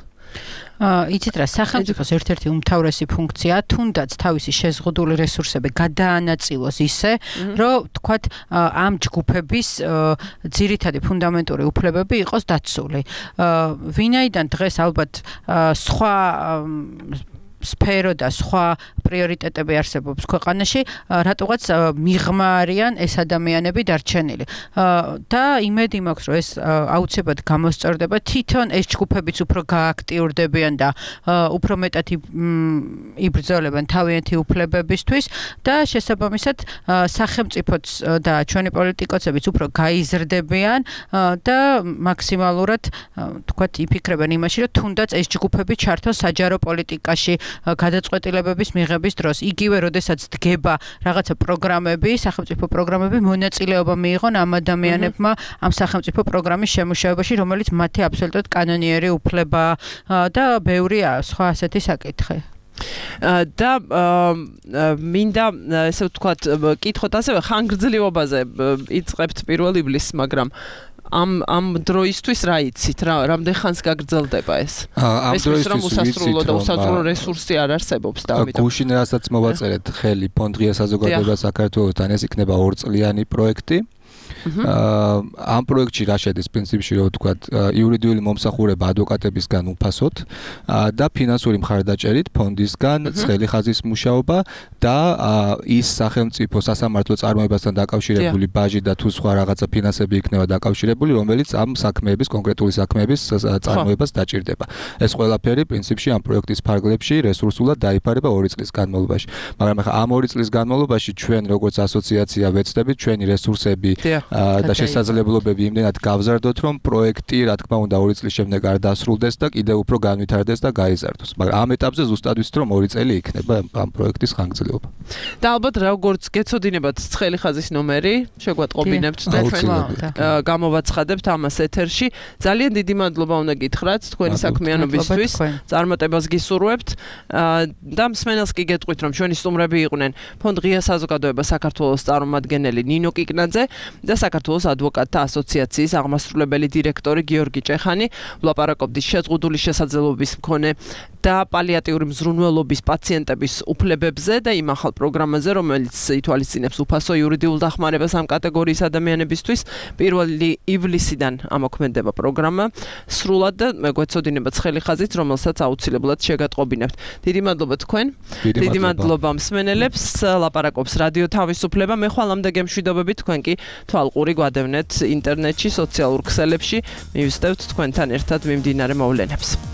იცით რა სახელმწიფოს ერთ-ერთი უმთავრესი ფუნქცია თუნდაც თავისი შეზღუდული რესურსები გადაანაწილოს ისე რომ თქვათ ამ ჯგუფების ძირითადი ფუნდამენტური უფლებები იყოს დაცული ვინაიდან დღეს ალბათ სხვა სფერო და სხვა პრიორიტეტები არსებობს ქვეყანაში, რატოღაც მიღმა არიან ეს ადამიანები დარჩენილი. და იმედი მაქვს, რომ ეს აუცილებლად გამოსწორდება, თვითონ ეს ჯგუფებიც უფრო გააქტიურდებიან და უფრო მეტად იბრძოლებენ თავიანთი უფლებებისთვის და შესაბამისად სახელმწიფოც და ჩვენი პოლიტიკოსებიც უფრო გაიზრდებიან და მაქსიმალურად თქვათ იფიქრებენ იმაში, რომ თუნდაც ეს ჯგუფები ჩართონ საჯარო პოლიტიკაში გადაწყვეტილებების მიღების დროს. იგივე, როდესაც დგება რაღაცა პროგრამები, სახელმწიფო პროგრამები, მონაწილეობა მიიღონ ამ ადამიანებმა ამ სახელმწიფო პროგრამის შემუშავებაში, რომელიც მათი აბსოლუტურად კანონიერი უფლებაა და ბევრია სხვა ასეთი საკითხი. და მინდა ესე ვთქვათ, კითხოთ ასევე ხანგრძლივობაზე იწყებთ პირველ ივლისს, მაგრამ ამ დროისთვის რა იცით? რამდენ ხანს გაგრძელდება ეს? ამ დროისთვის უსასრულო და უსასრულო რესურსი არ არსებობს და ამიტომ გუშინ რასაც მოვაწერეთ ხელი ფონდღია საზოგადოება საქართველოსთან ეს იქნება 2 წლიანი პროექტი. ამ პროექტში რა შედის პრინციპში რო ვთქვათ იურიდიული მომსახურება ადვოკატებისგან უფასოდ და ფინანსური მხარდაჭერით ფონდისგან ცხელი ხაზის მუშაობა და ის სახელმწიფო სასამართლო წარმოებასთან დაკავშირებული ბაჟი და თუ სხვა რაღაცა ფინანსები იქნება დაკავშირებული რომელიც ამ საქმეების კონკრეტული საქმეების წარმოებას დაჭირდება ეს ყველაფერი პრინციპში ამ პროექტის ფარგლებში რესურსულად დაიფარება 2 წლის განმავლობაში მაგრამ ახლა ამ 2 წლის განმავლობაში ჩვენ როგორც ასოციაცია ვეცდებით ჩვენი რესურსები და შესაძლებლობები იმდენად გავზარდოთ, რომ პროექტი, რა თქმა უნდა, 2 წლის შემდეგ არ დასრულდეს და კიდევ უფრო განვითარდეს და გაიზარდოს. მაგრამ ამ ეტაპზე ზუსტად ვიცით, რომ 2 წელი იქნება ამ პროექტის ხანგრძლივობა. და ალბათ როგორც გეცოდინებათ ცხელი ხაზის ნომერი, შეგვატყობინებთ და ჩვენ გამოვაცხადებთ ამას ეთერში. ძალიან დიდი მადლობა უნდა გითხრათ თქვენი საქმიანობისთვის. წარმატებას გისურვებთ და მსმენელს კი გეტყვით, რომ ჩვენი სტუმრები იყვნენ ფონდ ღია საზოგადოება საქართველოს წარმომადგენელი ნინო კიკნაძე და საქართველოს ადვოკატთა ასოციაციის აღმასრულებელი დირექტორი გიორგი ჭეხანი ვლაპარაკობდით შეზღუდული შესაძლებლობის მქონე და პალიატიური მზრუნველობის პაციენტების უფლებებზე და იმ ახალ პროგრამაზე, რომელიც ითვალისწინებს უფასო იურიდიულ დახმარებას ამ კატეგორიის ადამიანებისთვის. 1 ივლისიდან ამოქმედება პროგრამა. სრულად და მეგვეცოდინება ცხელი ხაზით, რომელსაც აუცილებლად შეგატყობინებთ. დიდი მადლობა თქვენ. დიდი მადლობა მსმენელებს. ლაპარაკობს რადიო თავისუფლება. მე ხვალამდე გემშვიდობებით თქვენ კი თვალყური გვადევნეთ ინტერნეტში, სოციალურ ქსელებში. მივსდევთ თქვენთან ერთად მიმდინარე მოვლენებს.